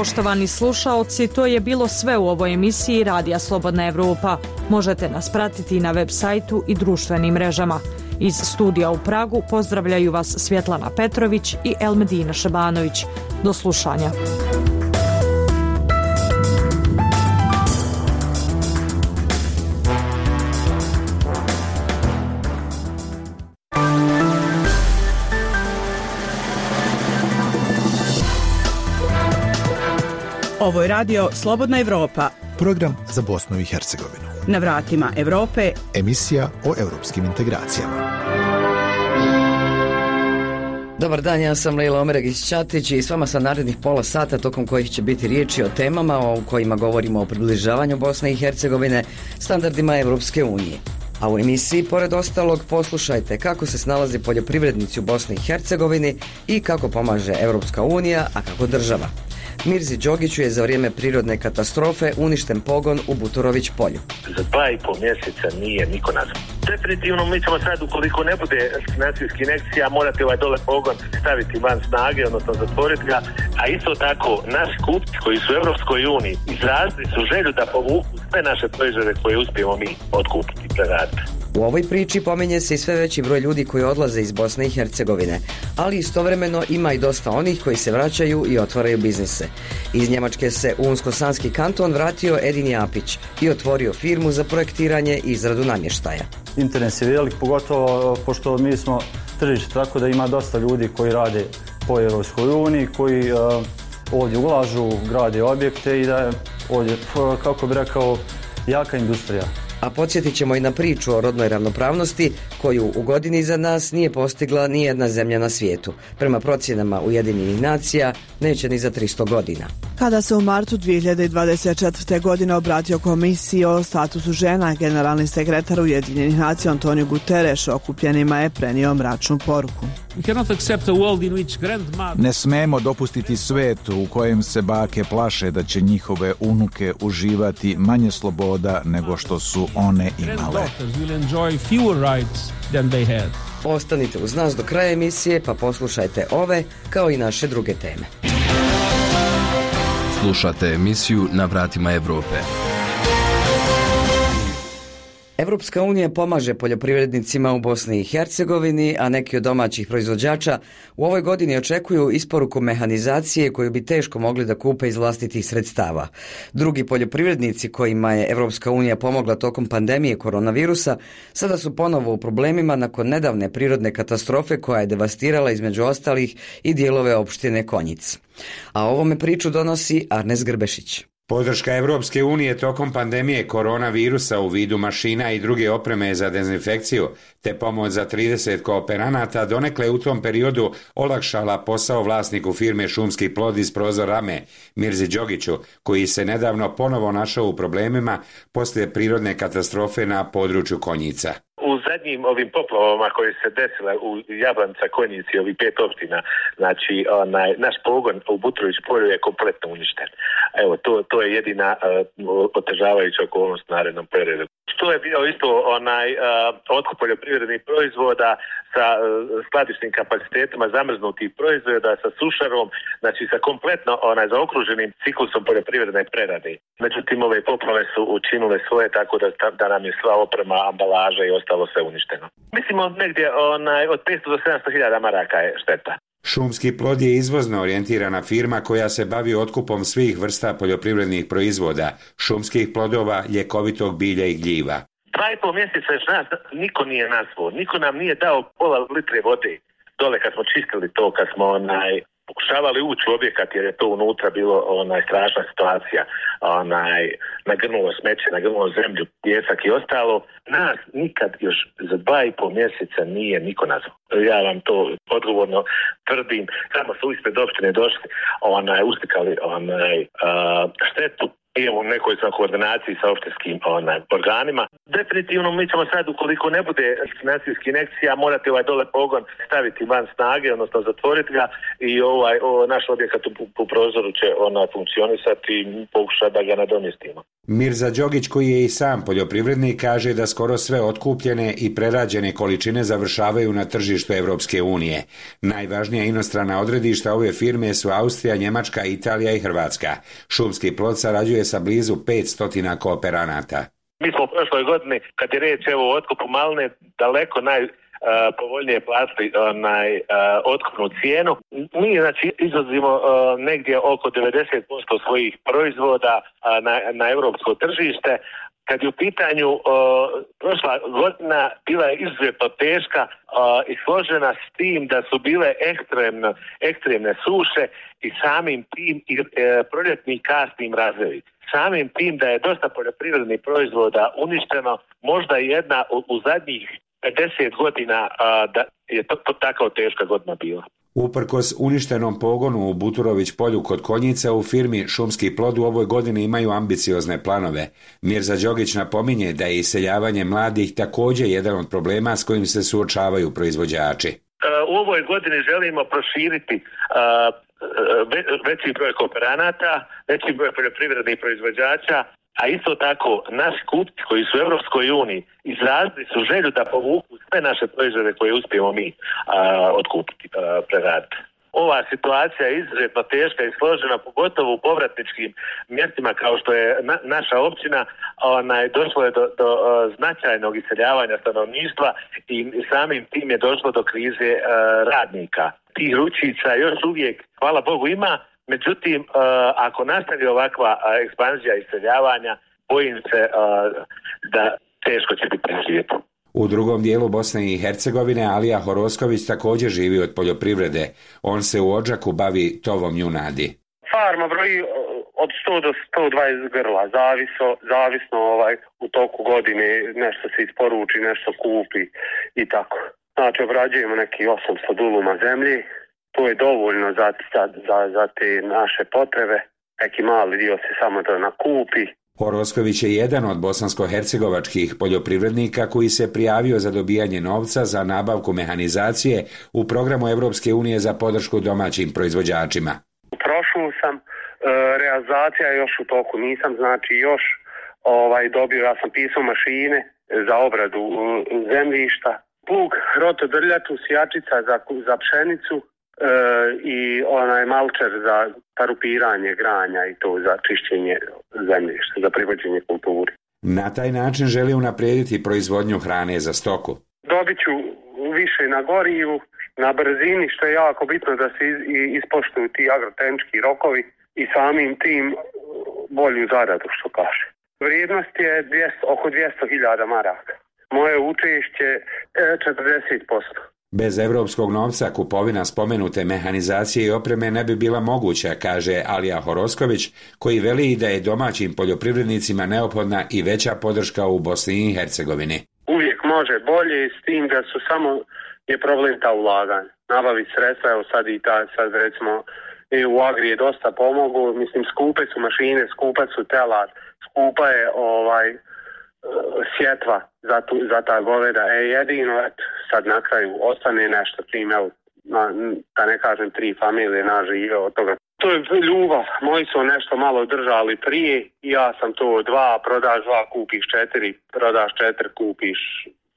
Poštovani slušaoci, to je bilo sve u ovoj emisiji Radija Slobodna Evropa. Možete nas pratiti na web sajtu i društvenim mrežama. Iz studija u Pragu pozdravljaju vas Svjetlana Petrović i Elmedina Šebanović. Do slušanja. Ovo je radio Slobodna Evropa. Program za Bosnu i Hercegovinu. Na vratima Evrope. Emisija o europskim integracijama. Dobar dan, ja sam Lejla Omeregić-Ćatić i s vama sam narednih pola sata tokom kojih će biti riječi o temama o kojima govorimo o približavanju Bosne i Hercegovine standardima Evropske unije. A u emisiji, pored ostalog, poslušajte kako se snalazi poljoprivrednici u Bosni i Hercegovini i kako pomaže Evropska unija, a kako država. Mirzi Đogiću je za vrijeme prirodne katastrofe uništen pogon u Buturović polju. Za 2,5 mjeseca nije niko nazvan. Definitivno mi ćemo sad, ukoliko ne bude financijskih injekcija, morati ovaj dole pogon staviti van snage, odnosno zatvoriti ga, a isto tako naši kupci koji su u Evropskoj uniji izrazili su želju da povuku sve naše proizvode koje uspijemo mi otkupiti i preraditi. U ovoj priči pominje se i sve veći broj ljudi koji odlaze iz Bosne i Hercegovine, ali istovremeno ima i dosta onih koji se vraćaju i otvaraju biznise. Iz Njemačke se u Unsko-Sanski kanton vratio Edin Japić i otvorio firmu za projektiranje i izradu namještaja. Interes je velik, pogotovo pošto mi smo tržište, tako da ima dosta ljudi koji rade po Europskoj uniji, koji ovdje ulažu, grade objekte i da je ovdje, kako bi rekao, jaka industrija. A podsjetit ćemo i na priču o rodnoj ravnopravnosti koju u godini iza nas nije postigla ni jedna zemlja na svijetu. Prema procjenama Ujedinjenih nacija neće ni za 300 godina. Kada se u martu 2024. godine obratio komisiji o statusu žena, generalni sekretar Ujedinjenih nacija Antonio Guterres okupljenima je prenio mračnu poruku. Ne smemo dopustiti svijet u kojem se bake plaše da će njihove unuke uživati manje sloboda nego što su one imale. Ostanite uz nas do kraja emisije pa poslušajte ove kao i naše druge teme. Slušate emisiju Na vratima Evrope. Evropska unija pomaže poljoprivrednicima u Bosni i Hercegovini, a neki od domaćih proizvođača u ovoj godini očekuju isporuku mehanizacije koju bi teško mogli da kupe iz vlastitih sredstava. Drugi poljoprivrednici kojima je Evropska unija pomogla tokom pandemije koronavirusa sada su ponovo u problemima nakon nedavne prirodne katastrofe koja je devastirala između ostalih i dijelove opštine Konjic. A ovome priču donosi Arnes Grbešić. Podrška Evropske unije tokom pandemije koronavirusa u vidu mašina i druge opreme za dezinfekciju te pomoć za 30 kooperanata donekle u tom periodu olakšala posao vlasniku firme Šumski plod iz Prozor Rame, Mirzi Đogiću, koji se nedavno ponovo našao u problemima poslije prirodne katastrofe na području Konjica. U zadnjim ovim poplavama koje se desile u Jablanca, Konjici, ovih 5 opština, znači naš pogon u Butrović polju je kompletno uništen. Evo, to je jedina otežavajuća okolnost u narednom periodu. Što je bio isto otkup poljoprivrednih proizvoda sa skladišnim kapacitetima zamrznutih proizvoda, sa sušarom, znači sa kompletno zaokruženim ciklusom poljoprivredne prerade. Međutim, ove poplave su učinile svoje tako da nam je sva oprema, ambalaža i ostalo sve uništeno. Mislimo negdje od 500 do 700 hiljada maraka je šteta. Šumski plod je izvozno orijentirana firma koja se bavi otkupom svih vrsta poljoprivrednih proizvoda, šumskih plodova, ljekovitog bilja i gljiva. 2,5 mjeseca još nas niko nije nazvao, niko nam nije dao pola litre vode dole kad smo čistili to, kad smo pokušavali ući u objekat jer je to unutra bilo strašna situacija, nagrnulo smeće, nagrnulo zemlju, pjesak i ostalo. Nas nikad još za 2,5 mjeseca nije niko nazvao. Ja vam to odgovorno tvrdim. Samo su ispred opštine došli, uslikali štetu. I u nekoj sam koordinaciji sa opštinskim organima. Definitivno mi ćemo sad, ukoliko ne bude financijskih injekcija, morati ovaj dole pogon staviti van snage, odnosno zatvoriti ga i naš objekat u Prozoru će funkcionisati i pokušati da ga nadomjestimo. Mirza Đogić, koji je i sam poljoprivrednik, kaže da skoro sve otkupljene i prerađene količine završavaju na tržištu Evropske unije. Najvažnija inostrana odredišta ove firme su Austrija, Njemačka, Italija i Hrvatska. Šumski plod sarađuje sa blizu 500 kooperanata. Mi smo u prošloj godini, kad je reč o otkupu maline, daleko povoljnije platili otkupnu cijenu. Mi znači izvozimo negdje oko 90% svojih proizvoda na europsko tržište. Kad je u pitanju prošla godina bila je izuzetno teška i složena s tim da su bile ekstremne suše i samim tim i proljetni kasni mrazevi. Samim tim da je dosta poljoprivrednih proizvoda uništeno, možda jedna u zadnjih 50 godina da je to tako teška godina bila. Uprkos uništenom pogonu u Buturović polju kod Konjica, u firmi Šumski plod u ovoj godini imaju ambiciozne planove. Mirza Đogić napominje da je iseljavanje mladih također jedan od problema s kojim se suočavaju proizvođači. U ovoj godini želimo proširiti veći broj kooperanata, veći broj poljoprivrednih proizvođača, a isto tako naši kupci koji su u Europskoj uniji izrazili su želju da povuku sve naše proizvode koje uspijemo mi otkupiti, preraditi. Ova situacija je izuzetno teška i složena, pogotovo u povratničkim mjestima kao što je naša općina. Došlo je do značajnog iseljavanja stanovništva i samim tim je došlo do krize radnika. Tih ručica još uvijek, hvala Bogu, ima. Međutim, ako nastavi ovakva ekspanzija iseljavanja, bojim se da teško će biti preživjeti. U drugom dijelu Bosne i Hercegovine Alija Horosković također živi od poljoprivrede. On se u Odžaku bavi tovom junadi. Farma broji od 100 do 120 grla, zavisno u toku godine nešto se isporuči, nešto kupi i tako. Znači obrađujemo neki 800 duluma zemlji. To je dovoljno za te naše potrebe. Neki mali dio se samo to nakupi. Horosković je jedan od bosansko-hercegovačkih poljoprivrednika koji se prijavio za dobijanje novca za nabavku mehanizacije u programu Evropske unije za podršku domaćim proizvođačima. Prošao sam, realizacija je još u toku, nisam znači još dobio, ja sam pisao mašine za obradu zemljišta, plug, rotodrljatu, sjačica za pšenicu, i malčer za parupiranje granja i to za čišćenje zemljišta, za privođenje kulturi. Na taj način želi unaprijediti proizvodnju hrane za stoku. Dobit ću više na gorivu, na brzini, što je jako bitno da se ispoštuju ti agrotehnički rokovi i samim tim bolju zaradu, što kaže. Vrijednost je oko 200.000 maraka. Moje učešće 40%. Bez evropskog novca kupovina spomenute mehanizacije i opreme ne bi bila moguća, kaže Alija Horosković, koji veli da je domaćim poljoprivrednicima neophodna i veća podrška u Bosni i Hercegovini. Uvijek može bolje, s tim da su samo je problem ta ulaganja. Nabavi sredstva, evo sad recimo u Agri je dosta pomogu, mislim skupe su mašine, skupa su telat, skupa je sjetva za ta goveda. Jedino sad na kraju ostane nešto čim, evo, da ne kažem 3 familije nažive od toga. To je ljubav. Moji su nešto malo držali prije i ja sam to 2, prodaš 2, kupiš 4, prodaš 4, kupiš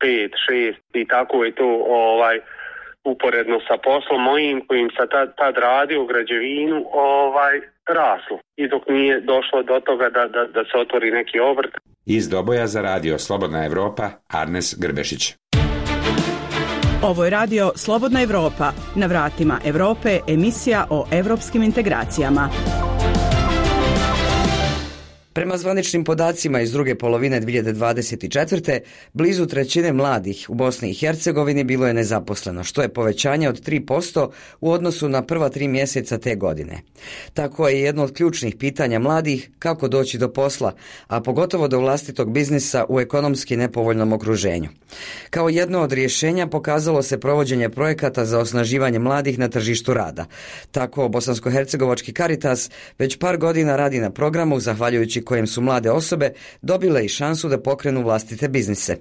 5, 6 i tako je to uporedno sa poslom mojim kojim sam tad radio u građevinu raslo. I dok nije došlo do toga da se otvori neki obrt. Iz Doboja za radio Slobodna Evropa, Arnes Grbešić. Ovo je radio Slobodna Evropa. Na vratima Evrope, emisija o evropskim integracijama. Prema zvaničnim podacima iz druge polovine 2024. blizu trećine mladih u Bosni i Hercegovini bilo je nezaposleno, što je povećanje od 3% u odnosu na prva 3 mjeseca te godine. Tako je jedno od ključnih pitanja mladih kako doći do posla, a pogotovo do vlastitog biznisa u ekonomski nepovoljnom okruženju. Kao jedno od rješenja pokazalo se provođenje projekata za osnaživanje mladih na tržištu rada. Tako Bosansko-hercegovački Caritas već par godina radi na programu zahvaljujući kojem su mlade osobe dobile i šansu da pokrenu vlastite biznise.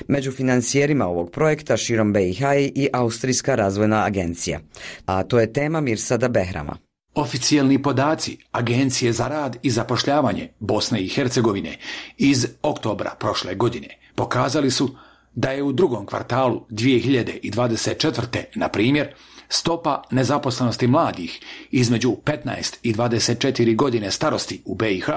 Među financijerima ovog projekta širom BiH i Austrijska razvojna agencija. A to je tema Mirsada Behrama. Oficijelni podaci Agencije za rad i zapošljavanje Bosne i Hercegovine iz oktobra prošle godine pokazali su da je u drugom kvartalu 2024. na primjer stopa nezaposlenosti mladih između 15 i 24 godine starosti u BiH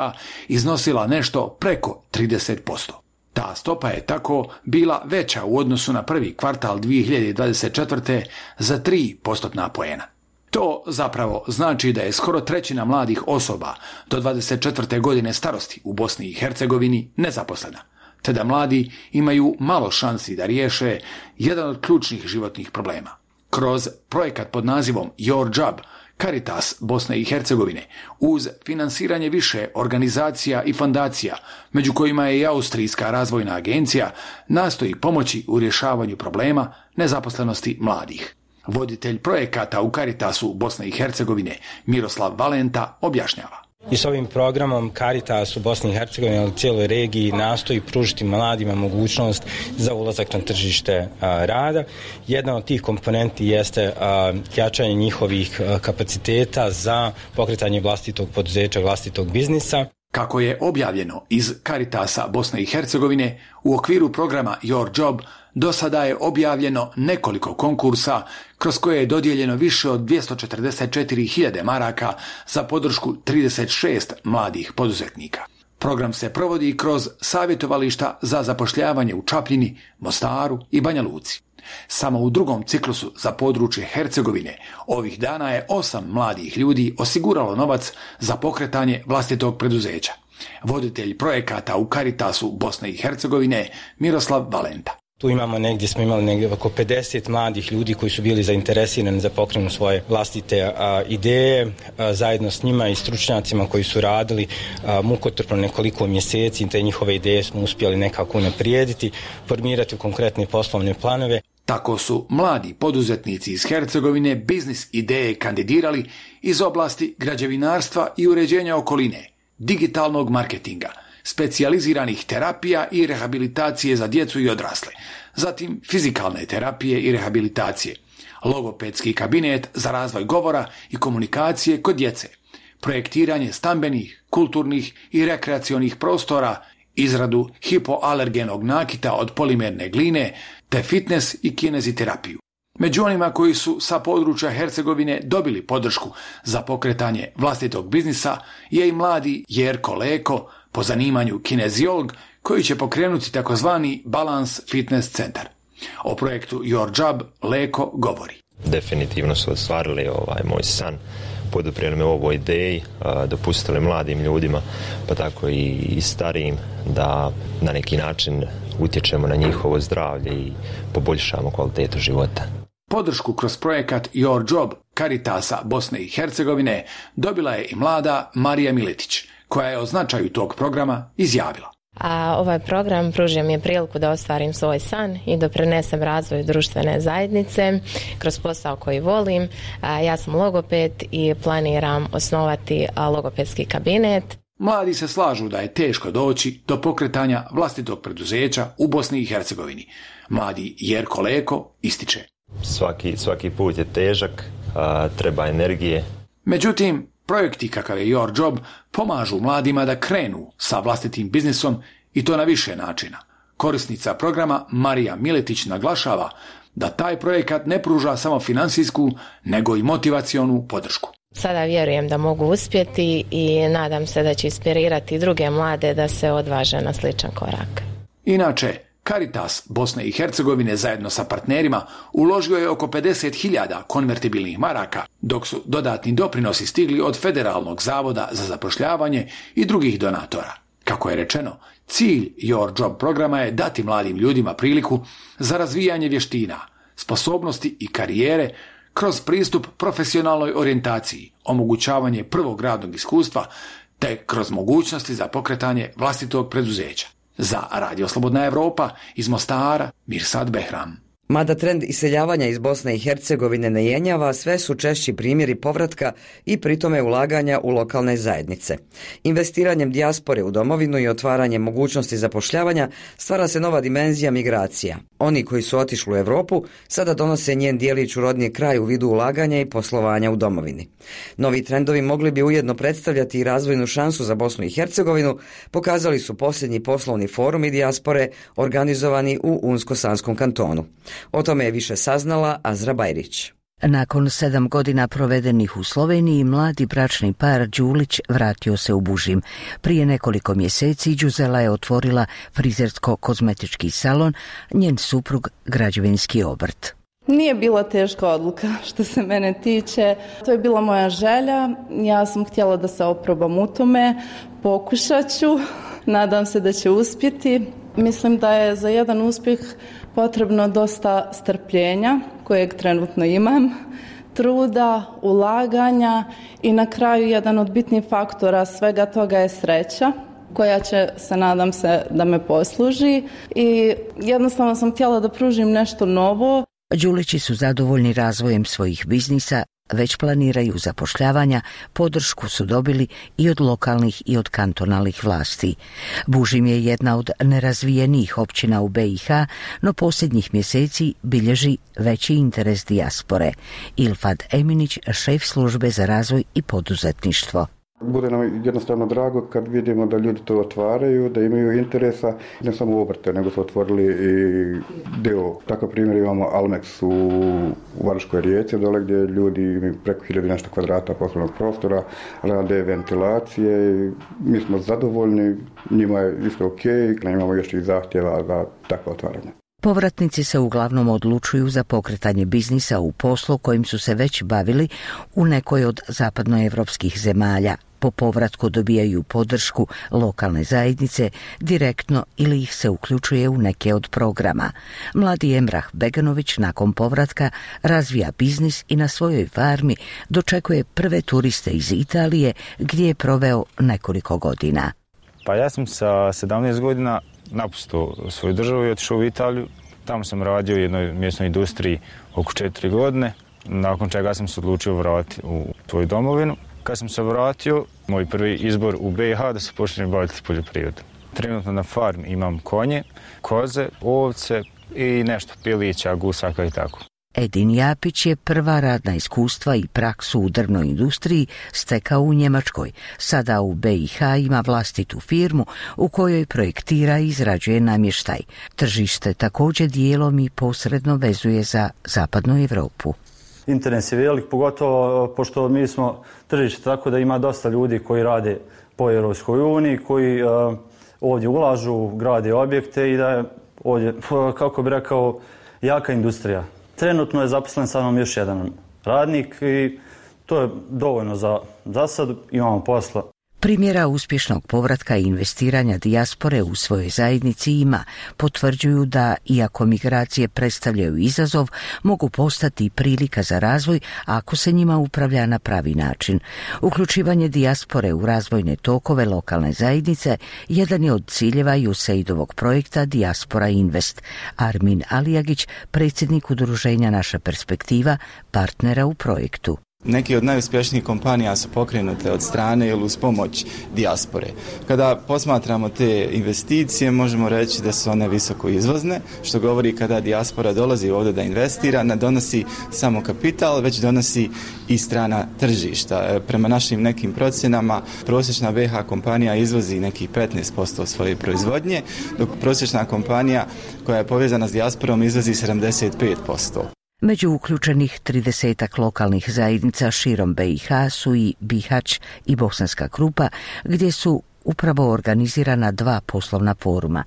iznosila nešto preko 30%. Ta stopa je tako bila veća u odnosu na prvi kvartal 2024. za 3 postotna poena. To zapravo znači da je skoro trećina mladih osoba do 24. godine starosti u Bosni i Hercegovini nezaposlena, te da mladi imaju malo šansi da riješe jedan od ključnih životnih problema. Kroz projekat pod nazivom Your Job, Caritas Bosne i Hercegovine, uz finansiranje više organizacija i fondacija, među kojima je i Austrijska razvojna agencija, nastoji pomoći u rješavanju problema nezaposlenosti mladih. Voditelj projekata u Caritasu Bosne i Hercegovine, Miroslav Valenta, objašnjava. I s ovim programom Caritas u Bosni i Hercegovini, ali u cijeloj regiji, nastoji pružiti mladima mogućnost za ulazak na tržište rada. Jedna od tih komponenti jeste jačanje njihovih kapaciteta za pokretanje vlastitog poduzeća, vlastitog biznisa. Kako je objavljeno iz Caritasa Bosne i Hercegovine, u okviru programa Your Job do sada je objavljeno nekoliko konkursa kroz koje je dodijeljeno više od 244.000 maraka za podršku 36 mladih poduzetnika. Program se provodi kroz savjetovališta za zapošljavanje u Čapljini, Mostaru i Banja Luci. Samo u drugom ciklusu za područje Hercegovine ovih dana je 8 mladih ljudi osiguralo novac za pokretanje vlastitog preduzeća. Voditelj projekata u Caritasu Bosne i Hercegovine, Miroslav Valenta. Tu smo imali negdje oko 50 mladih ljudi koji su bili zainteresirani za pokrenu svoje vlastite ideje. Zajedno s njima i stručnjacima koji su radili mukotrpno nekoliko mjeseci, te njihove ideje smo uspjeli nekako unaprijediti, formirati konkretne poslovne planove. Tako su mladi poduzetnici iz Hercegovine biznis ideje kandidirali iz oblasti građevinarstva i uređenja okoline, digitalnog marketinga, specijaliziranih terapija i rehabilitacije za djecu i odrasle, zatim fizikalne terapije i rehabilitacije, logopedski kabinet za razvoj govora i komunikacije kod djece, projektiranje stambenih, kulturnih i rekreacionih prostora, izradu hipoalergenog nakita od polimerne gline, te fitness i kineziterapiju. Među onima koji su sa područja Hercegovine dobili podršku za pokretanje vlastitog biznisa je i mladi Jerko Leko, po zanimanju kineziolog, koji će pokrenuti takozvani Balance Fitness centar. O projektu Your Job Leko govori. Definitivno su ostvarili moj san, poduprijeli me ovoj ideji, dopustili mladim ljudima, pa tako i starijim, da na neki način utječemo na njihovo zdravlje i poboljšamo kvalitetu života. Podršku kroz projekat Your Job Caritasa Bosne i Hercegovine dobila je i mlada Marija Miletić, koja je o značaju tog programa izjavila. Ovaj program pružio mi je priliku da ostvarim svoj san i doprinesem razvoju društvene zajednice kroz posao koji volim. Ja sam logoped i planiram osnovati logopedski kabinet. Mladi se slažu da je teško doći do pokretanja vlastitog preduzeća u Bosni i Hercegovini. Mladi Jerko Leko ističe. Svaki put je težak, treba energije. Međutim, projekti kakav je Your Job pomažu mladima da krenu sa vlastitim biznisom i to na više načina. Korisnica programa Marija Miletić naglašava da taj projekat ne pruža samo financijsku, nego i motivacionu podršku. Sada vjerujem da mogu uspjeti i nadam se da će inspirirati druge mlade da se odvaže na sličan korak. Inače, Caritas Bosne i Hercegovine zajedno sa partnerima uložio je oko 50.000 konvertibilnih maraka, dok su dodatni doprinosi stigli od Federalnog zavoda za zapošljavanje i drugih donatora. Kako je rečeno, cilj Your Job programa je dati mladim ljudima priliku za razvijanje vještina, sposobnosti i karijere kroz pristup profesionalnoj orijentaciji, omogućavanje prvog radnog iskustva, te kroz mogućnosti za pokretanje vlastitog preduzeća. Za Radio Slobodna Evropa iz Mostara, Mirsad Behram. Mada trend iseljavanja iz Bosne i Hercegovine ne jenjava, sve su češći primjeri povratka i pritome ulaganja u lokalne zajednice. Investiranjem dijaspore u domovinu i otvaranjem mogućnosti zapošljavanja stvara se nova dimenzija migracija. Oni koji su otišli u Europu sada donose njen dijelić u rodni kraj u vidu ulaganja i poslovanja u domovini. Novi trendovi mogli bi ujedno predstavljati i razvojnu šansu za Bosnu i Hercegovinu, pokazali su posljednji poslovni forumi dijaspore organizovani u Unsko-Sanskom kantonu. O tome je više saznala Azra Bajrić. Nakon 7 godina provedenih u Sloveniji, mladi bračni par Đulić vratio se u Bužim. Prije nekoliko mjeseci Đuzela je otvorila frizersko-kozmetički salon, njen suprug građevinski obrt. Nije bila teška odluka što se mene tiče. To je bila moja želja. Ja sam htjela da se oprobam u tome. Pokušat ću. Nadam se da će uspjeti. Mislim da je za jedan uspjeh potrebno dosta strpljenja, kojeg trenutno imam, truda, ulaganja i na kraju jedan od bitnih faktora svega toga je sreća, koja će, nadam se, da me posluži i jednostavno sam htjela da pružim nešto novo. Đulići su zadovoljni razvojem svojih biznisa, već planiraju zapošljavanja, podršku su dobili i od lokalnih i od kantonalnih vlasti. Bužim je jedna od nerazvijenijih općina u BiH, no posljednjih mjeseci bilježi veći interes dijaspore. Ilfad Eminić, šef službe za razvoj i poduzetništvo. Bude nam jednostavno drago kad vidimo da ljudi to otvaraju, da imaju interesa, ne samo obrte, nego su otvorili i deo. Takav primjer imamo Almex u Varškoj Rijeci, dole gdje ljudi imaju preko 1000 nešto kvadrata poslovnog prostora, rade ventilacije. Mi smo zadovoljni, njima je isto ok, imamo još i zahtjeva za takva otvaranja. Povratnici se uglavnom odlučuju za pokretanje biznisa u poslu kojim su se već bavili u nekoj od zapadnoevropskih zemalja. Po povratku dobijaju podršku lokalne zajednice direktno ili ih se uključuje u neke od programa. Mladi Emrah Beganović nakon povratka razvija biznis i na svojoj farmi dočekuje prve turiste iz Italije gdje je proveo nekoliko godina. Pa ja sam sa 17 godina napustio svoju državu i otišao u Italiju. Tamo sam radio u jednoj mjesnoj industriji oko 4 godine, nakon čega sam se odlučio vratiti u svoju domovinu. Kad sam se vratio, moj prvi izbor u BiH da se počnem baviti poljoprivredom. Trenutno na farmi imam konje, koze, ovce i nešto pilića, gusaka i tako. Edin Japić je prva radna iskustva i praksu u drvnoj industriji stekao u Njemačkoj. Sada u BiH ima vlastitu firmu u kojoj projektira i izrađuje namještaj. Tržište također dijelom i posredno vezuje za zapadnu Europu. Interes je velik, pogotovo pošto mi smo tržište tako da ima dosta ljudi koji rade po Europskoj uniji, koji ovdje ulažu, grade objekte i da je ovdje, kako bi rekao, jaka industrija. Trenutno je zaposlen sa mnom još jedan radnik i to je dovoljno za sad, imamo posla. Primjera uspješnog povratka i investiranja dijaspore u svojoj zajednici ima, potvrđuju da, iako migracije predstavljaju izazov, mogu postati prilika za razvoj ako se njima upravlja na pravi način. Uključivanje dijaspore u razvojne tokove lokalne zajednice jedan je od ciljeva USAID-ovog projekta Dijaspora Invest. Armin Alijagić, predsjednik udruženja Naša perspektiva, partnera u projektu. Neki od najuspješnijih kompanija su pokrenute od strane ili uz pomoć dijaspore. Kada posmatramo te investicije, možemo reći da su one visoko izvozne, što govori kada dijaspora dolazi ovdje da investira, ne donosi samo kapital, već donosi i strana tržišta. Prema našim nekim procjenama, prosječna BiH kompanija izvozi nekih 15% svoje proizvodnje, dok prosječna kompanija koja je povezana s dijasporom izvozi 75%. Među uključenih 30 lokalnih zajednica širom BiH su i Bihać i Bosanska Krupa, gdje su upravo organizirana 2 poslovna foruma.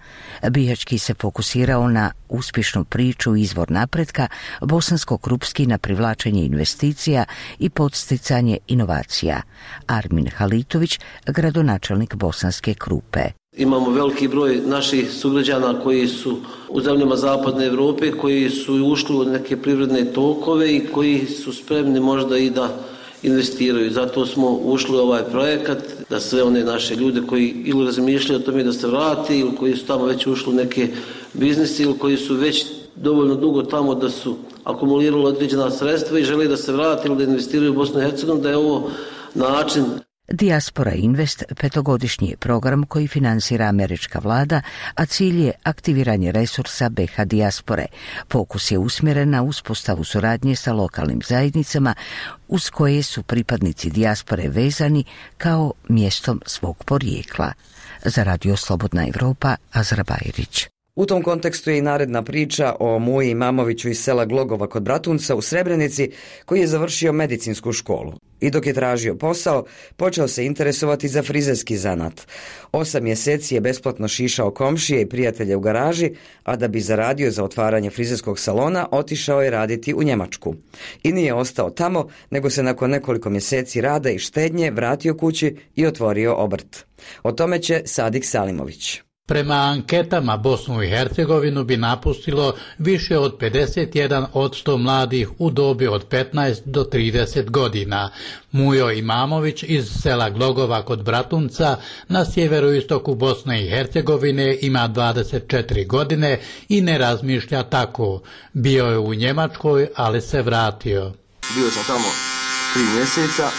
Bihaćki se fokusirao na uspješnu priču izvor napretka, Bosansko-Krupski na privlačenje investicija i podsticanje inovacija. Armin Halitović, gradonačelnik Bosanske Krupe. Imamo veliki broj naših sugrađana koji su u zemljama zapadne Europe, koji su ušli u neke privredne tokove i koji su spremni možda i da investiraju. Zato smo ušli u ovaj projekat, da sve one naše ljude koji ili razmišljaju o tome da se vrati, ili koji su tamo već ušli u neke biznise, ili koji su već dovoljno dugo tamo da su akumulirali određena sredstva i žele da se vrate ili da investiraju u Bosnu i Hercegovinu, da je ovo način. Diaspora Invest petogodišnji je program koji finansira američka vlada, a cilj je aktiviranje resursa BiH dijaspore. Fokus je usmjeren na uspostavu suradnje sa lokalnim zajednicama uz koje su pripadnici dijaspore vezani kao mjestom svog porijekla. Za Radio Slobodna Evropa, Azra Bajrić. U tom kontekstu je i naredna priča o Muji Imamoviću iz sela Glogova kod Bratunca u Srebrenici, koji je završio medicinsku školu. I dok je tražio posao, počeo se interesovati za frizerski zanat. 8 mjeseci je besplatno šišao komšije i prijatelje u garaži, a da bi zaradio za otvaranje frizerskog salona, otišao je raditi u Njemačku. I nije ostao tamo, nego se nakon nekoliko mjeseci rada i štednje vratio kući i otvorio obrt. O tome će Sadik Salimović. Prema anketama Bosnu i Hercegovinu bi napustilo više od 51% mladih u dobi od 15 do 30 godina. Mujo Imamović iz sela Glogova kod Bratunca na sjeveroistoku Bosne i Hercegovine ima 24 godine i ne razmišlja tako. Bio je u Njemačkoj, ali se vratio. Bio sam tamo 3 mjeseca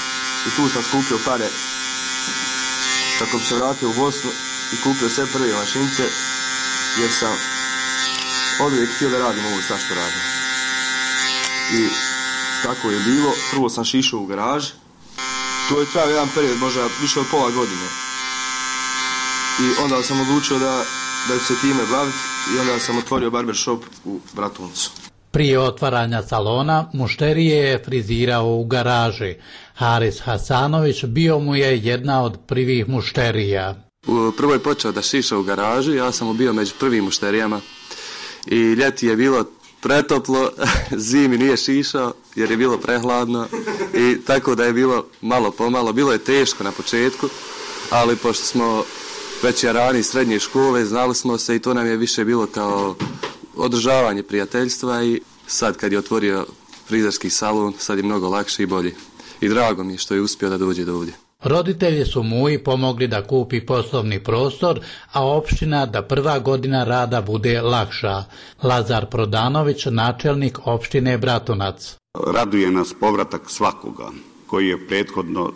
i tu sam skupio pare kako bi se vratio u Bosnu i kupio sve prve mašince, jer sam oduvijek htio da radim ovo sve što radim. I tako je bilo. Prvo sam šišao u garaži. To je trajao jedan period, možda više od pola godine. I onda sam odlučio da ću se time baviti i onda sam otvorio barbershop u Bratuncu. Prije otvaranja salona mušterije je frizirao u garaži. Haris Hasanović bio mu je jedna od prvih mušterija. Prvo je počeo da šiša u garaži, ja sam mu bio među prvim mušterijama i ljeti je bilo pretoplo, zimi nije šišao jer je bilo prehladno i tako da je bilo malo pomalo, bilo je teško na početku, ali pošto smo već jarani srednje škole, znali smo se i to nam je više bilo kao održavanje prijateljstva i sad kad je otvorio frizerski salon, sad je mnogo lakše i bolje. I drago mi je što je uspio da dođe do ovdje. Roditelji su Muji pomogli da kupi poslovni prostor, a opština da prva godina rada bude lakša. Lazar Prodanović, načelnik opštine Bratunac. Raduje nas povratak svakoga koji je prethodno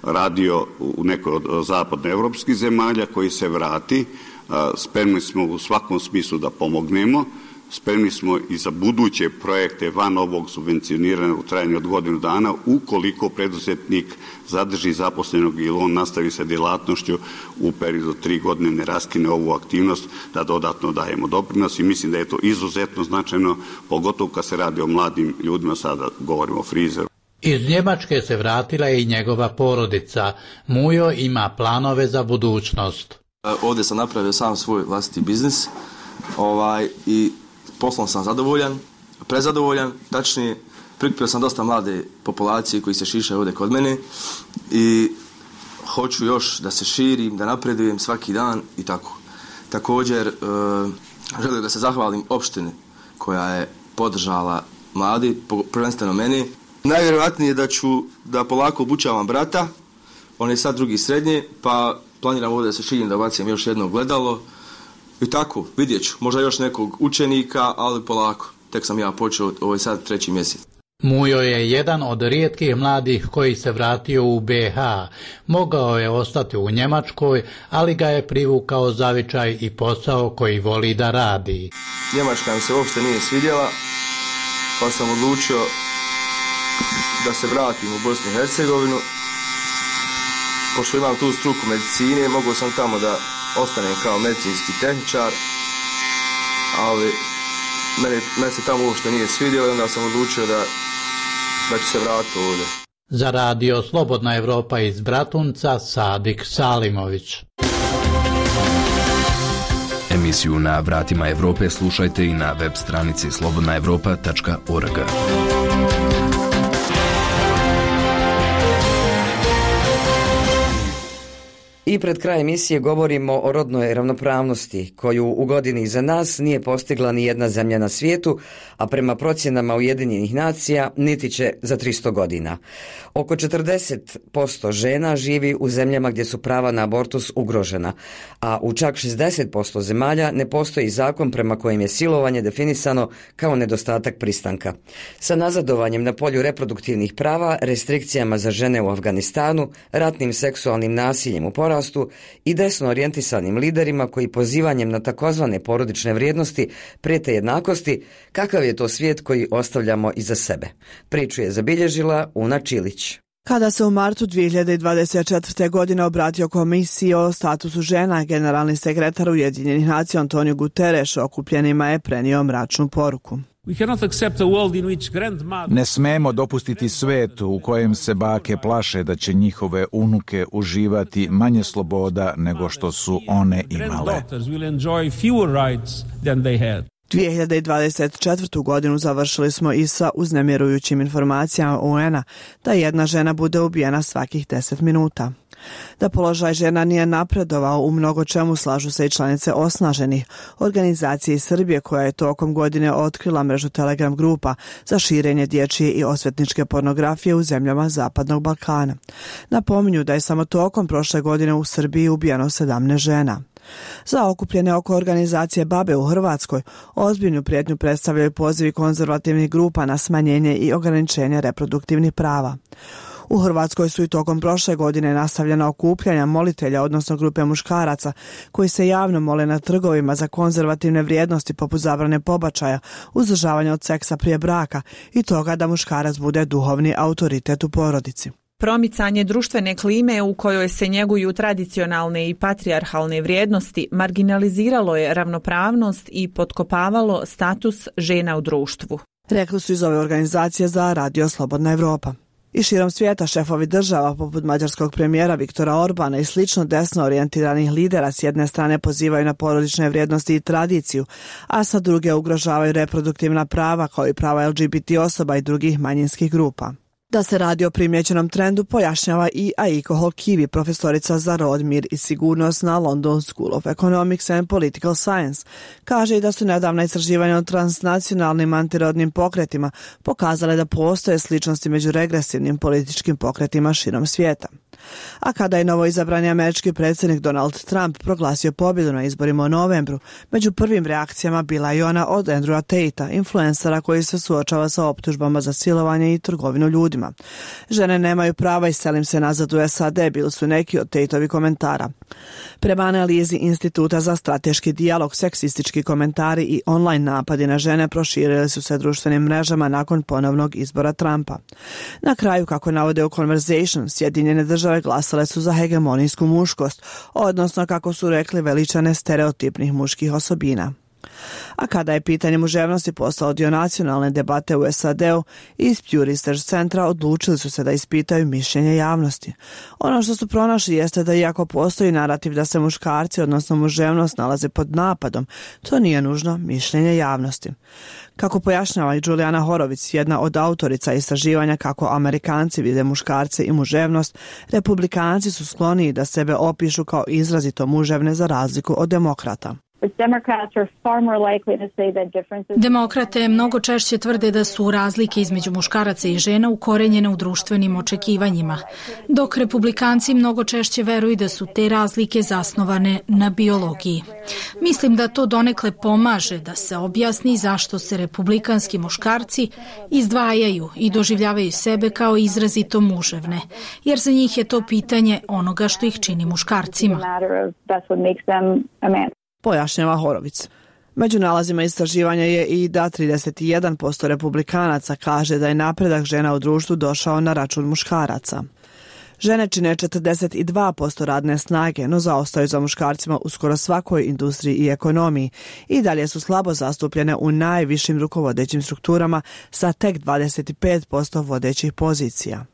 radio u nekoj od zapadnoevropskih zemalja, koji se vrati. Spremni smo u svakom smislu da pomognemo. Spremni smo i za buduće projekte van ovog subvencioniranja u trajanju od godinu dana, ukoliko preduzetnik zadrži zaposlenog ili on nastavi sa djelatnošću u periodu 3 godine, ne raskine ovu aktivnost, da dodatno dajemo doprinos i mislim da je to izuzetno značajno, pogotovo kad se radi o mladim ljudima, sada govorimo o frizeru. Iz Njemačke se vratila i njegova porodica. Mujo ima planove za budućnost. Ovdje sam napravio sam svoj vlastiti biznis i poslom sam zadovoljan, prezadovoljan, tačnije prikupio sam dosta mlade populacije koji se šišaju ovdje kod mene i hoću još da se širim, da napredujem svaki dan i tako. Također želim da se zahvalim opštini koja je podržala mladi, prvenstveno meni. Najvjerojatnije da polako obučavam brata, on je sad drugi srednje, pa planiram ovdje da se širim, da bacim još jedno gledalo. I tako, vidjet ću, možda još nekog učenika, ali polako. Tek sam ja počeo, ovo je sad 3. mjesec. Mujo je jedan od rijetkih mladih koji se vratio u BiH. Mogao je ostati u Njemačkoj, ali ga je privukao zavičaj i posao koji voli da radi. Njemačka mi se uopšte nije svidjela, pa sam odlučio da se vratim u Bosnu i Hercegovinu. Pošto imam tu struku medicine, mogao sam tamo da ostanem kao medicinski tehničar, ali mene se tamo uopšte nije svidjelo i onda sam odlučio da ću se vratiti ovdje. Za Radio Slobodna Evropa iz Bratunca, Sadik Salimović. Emisiju Na vratima Evrope slušajte i na web stranici slobodnaevropa.org. I pred kraj emisije govorimo o rodnoj ravnopravnosti, koju u godini iza nas nije postigla ni jedna zemlja na svijetu, a prema procjenama Ujedinjenih nacija niti će za 300 godina. Oko 40% žena živi u zemljama gdje su prava na abortus ugrožena, a u čak 60% zemalja ne postoji zakon prema kojem je silovanje definisano kao nedostatak pristanka. Sa nazadovanjem na polju reproduktivnih prava, restrikcijama za žene u Afganistanu, ratnim seksualnim nasiljem u porastu i desno orijentisanim liderima koji pozivanjem na takozvane porodične vrijednosti prijete jednakosti, kakav je to svijet koji ostavljamo iza sebe? Priču je zabilježila Una Čilić. Kada se u martu 2024. godine obratio komisiji o statusu žena, generalni sekretar Ujedinjenih nacija Antonio Guterres okupljenima je prenio mračnu poruku. Ne smemo dopustiti svijet u kojem se bake plaše da će njihove unuke uživati manje sloboda nego što su one imale. 2024. godinu završili smo i sa uznemirujućim informacijama UN-a da jedna žena bude ubijena svakih 10 minuta. Da položaj žena nije napredovao u mnogo čemu slažu se i članice osnaženih organizacije iz Srbije koja je tokom godine otkrila mrežu Telegram grupa za širenje dječje i osvetničke pornografije u zemljama Zapadnog Balkana. Napominju da je samo tokom prošle godine u Srbiji ubijeno 17 žena. Za okupljene oko organizacije BaBe u Hrvatskoj ozbiljnu prijetnju predstavljaju pozivi konzervativnih grupa na smanjenje i ograničenje reproduktivnih prava. U Hrvatskoj su i tokom prošle godine nastavljena okupljanja molitelja, odnosno grupe muškaraca, koji se javno mole na trgovima za konzervativne vrijednosti poput zabrane pobačaja, uzdržavanja od seksa prije braka i toga da muškarac bude duhovni autoritet u porodici. Promicanje društvene klime u kojoj se njeguju tradicionalne i patrijarhalne vrijednosti marginaliziralo je ravnopravnost i potkopavalo status žena u društvu. Rekli su iz ove organizacije za Radio Slobodna Evropa. I širom svijeta šefovi država poput mađarskog premijera Viktora Orbana i slično desno orijentiranih lidera s jedne strane pozivaju na porodične vrijednosti i tradiciju, a sa druge ugrožavaju reproduktivna prava kao i prava LGBT osoba i drugih manjinskih grupa. Da se radi o primjećenom trendu pojašnjava i Aiko Holkivi, profesorica za rod, mir i sigurnost na London School of Economics and Political Science. Kaže i da su nedavna istraživanja o transnacionalnim antirodnim pokretima pokazale da postoje sličnosti među regresivnim političkim pokretima širom svijeta. A kada je novoizabrani američki predsjednik Donald Trump proglasio pobjedu na izborima u novembru, među prvim reakcijama bila je ona od Andrewa Tatea, influencera koji se suočava sa optužbama za silovanje i trgovinu ljudima. Žene nemaju prava i selim se nazad u SAD, bili su neki od Tateovi komentara. Prema analizi Instituta za strateški dijalog, seksistički komentari i online napadi na žene proširili su se društvenim mrežama nakon ponovnog izbora Trumpa. Na kraju, kako navode u Conversation, Sjedinjene države glasale su za hegemonijsku muškost, odnosno, kako su rekli, veličane stereotipnih muških osobina. A kada je pitanje muževnosti postalo dio nacionalne debate u SAD-u, iz Pew Research centra odlučili su se da ispitaju mišljenje javnosti. Ono što su pronašli jeste da iako postoji narativ da se muškarci, odnosno muževnost, nalaze pod napadom, to nije nužno mišljenje javnosti. Kako pojašnjava i Julijana Horovic, jedna od autorica istraživanja kako Amerikanci vide muškarce i muževnost, Republikanci su skloniji da sebe opišu kao izrazito muževne za razliku od demokrata. Demokrate mnogo češće tvrde da su razlike između muškaraca i žena ukorenjene u društvenim očekivanjima, dok republikanci mnogo češće veruju da su te razlike zasnovane na biologiji. Mislim da to donekle pomaže da se objasni zašto se republikanski muškarci izdvajaju i doživljavaju sebe kao izrazito muževne, jer za njih je to pitanje onoga što ih čini muškarcima. Pojašnjava Horovic. Među nalazima istraživanja je i da 31% republikanaca kaže da je napredak žena u društvu došao na račun muškaraca. Žene čine 42% radne snage, no zaostaju za muškarcima u skoro svakoj industriji i ekonomiji i dalje su slabo zastupljene u najvišim rukovodećim strukturama sa tek 25% vodećih pozicija.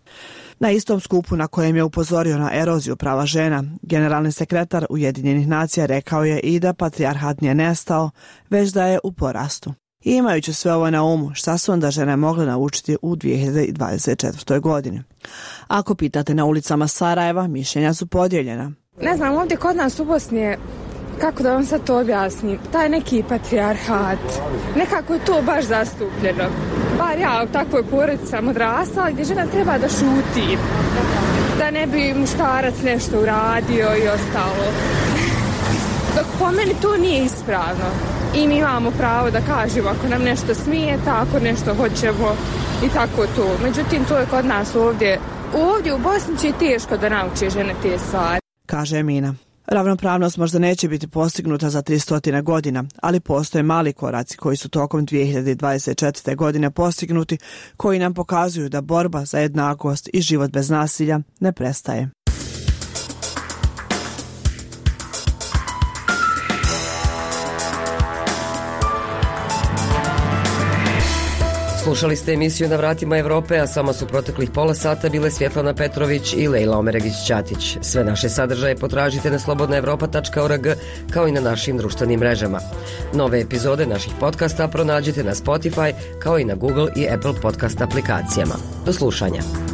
Na istom skupu na kojem je upozorio na eroziju prava žena, generalni sekretar Ujedinjenih nacija rekao je i da patrijarhat nije nestao, već da je u porastu. I imajući sve ovo na umu, šta su onda žene mogle naučiti u 2024. godini? Ako pitate na ulicama Sarajeva, mišljenja su podijeljena. Ne znam, ovdje kod nas u Bosni je, kako da vam sad to objasnim, taj neki patrijarhat, nekako je to baš zastupljeno. Bar ja u takvoj porodici sam odrastala gdje žena treba da šuti, da ne bi muškarac nešto uradio i ostalo. Dok po meni to nije ispravno i mi imamo pravo da kažemo ako nam nešto smijeta, ako nešto hoćemo i tako to. Međutim, to je kod nas ovdje u Bosni će teško da nauči žene te stvari. Kaže Emina. Ravnopravnost možda neće biti postignuta za 300 godina, ali postoje mali koraci koji su tokom 2024. godine postignuti, koji nam pokazuju da borba za jednakost i život bez nasilja ne prestaje. Slušali ste emisiju Na vratima Evrope, a samo su proteklih pola sata bile Svjetlana Petrović i Lejla Omeregić-Ćatić. Sve naše sadržaje potražite na slobodnaevropa.org kao i na našim društvenim mrežama. Nove epizode naših podcasta pronađite na Spotify kao i na Google i Apple podcast aplikacijama. Do slušanja.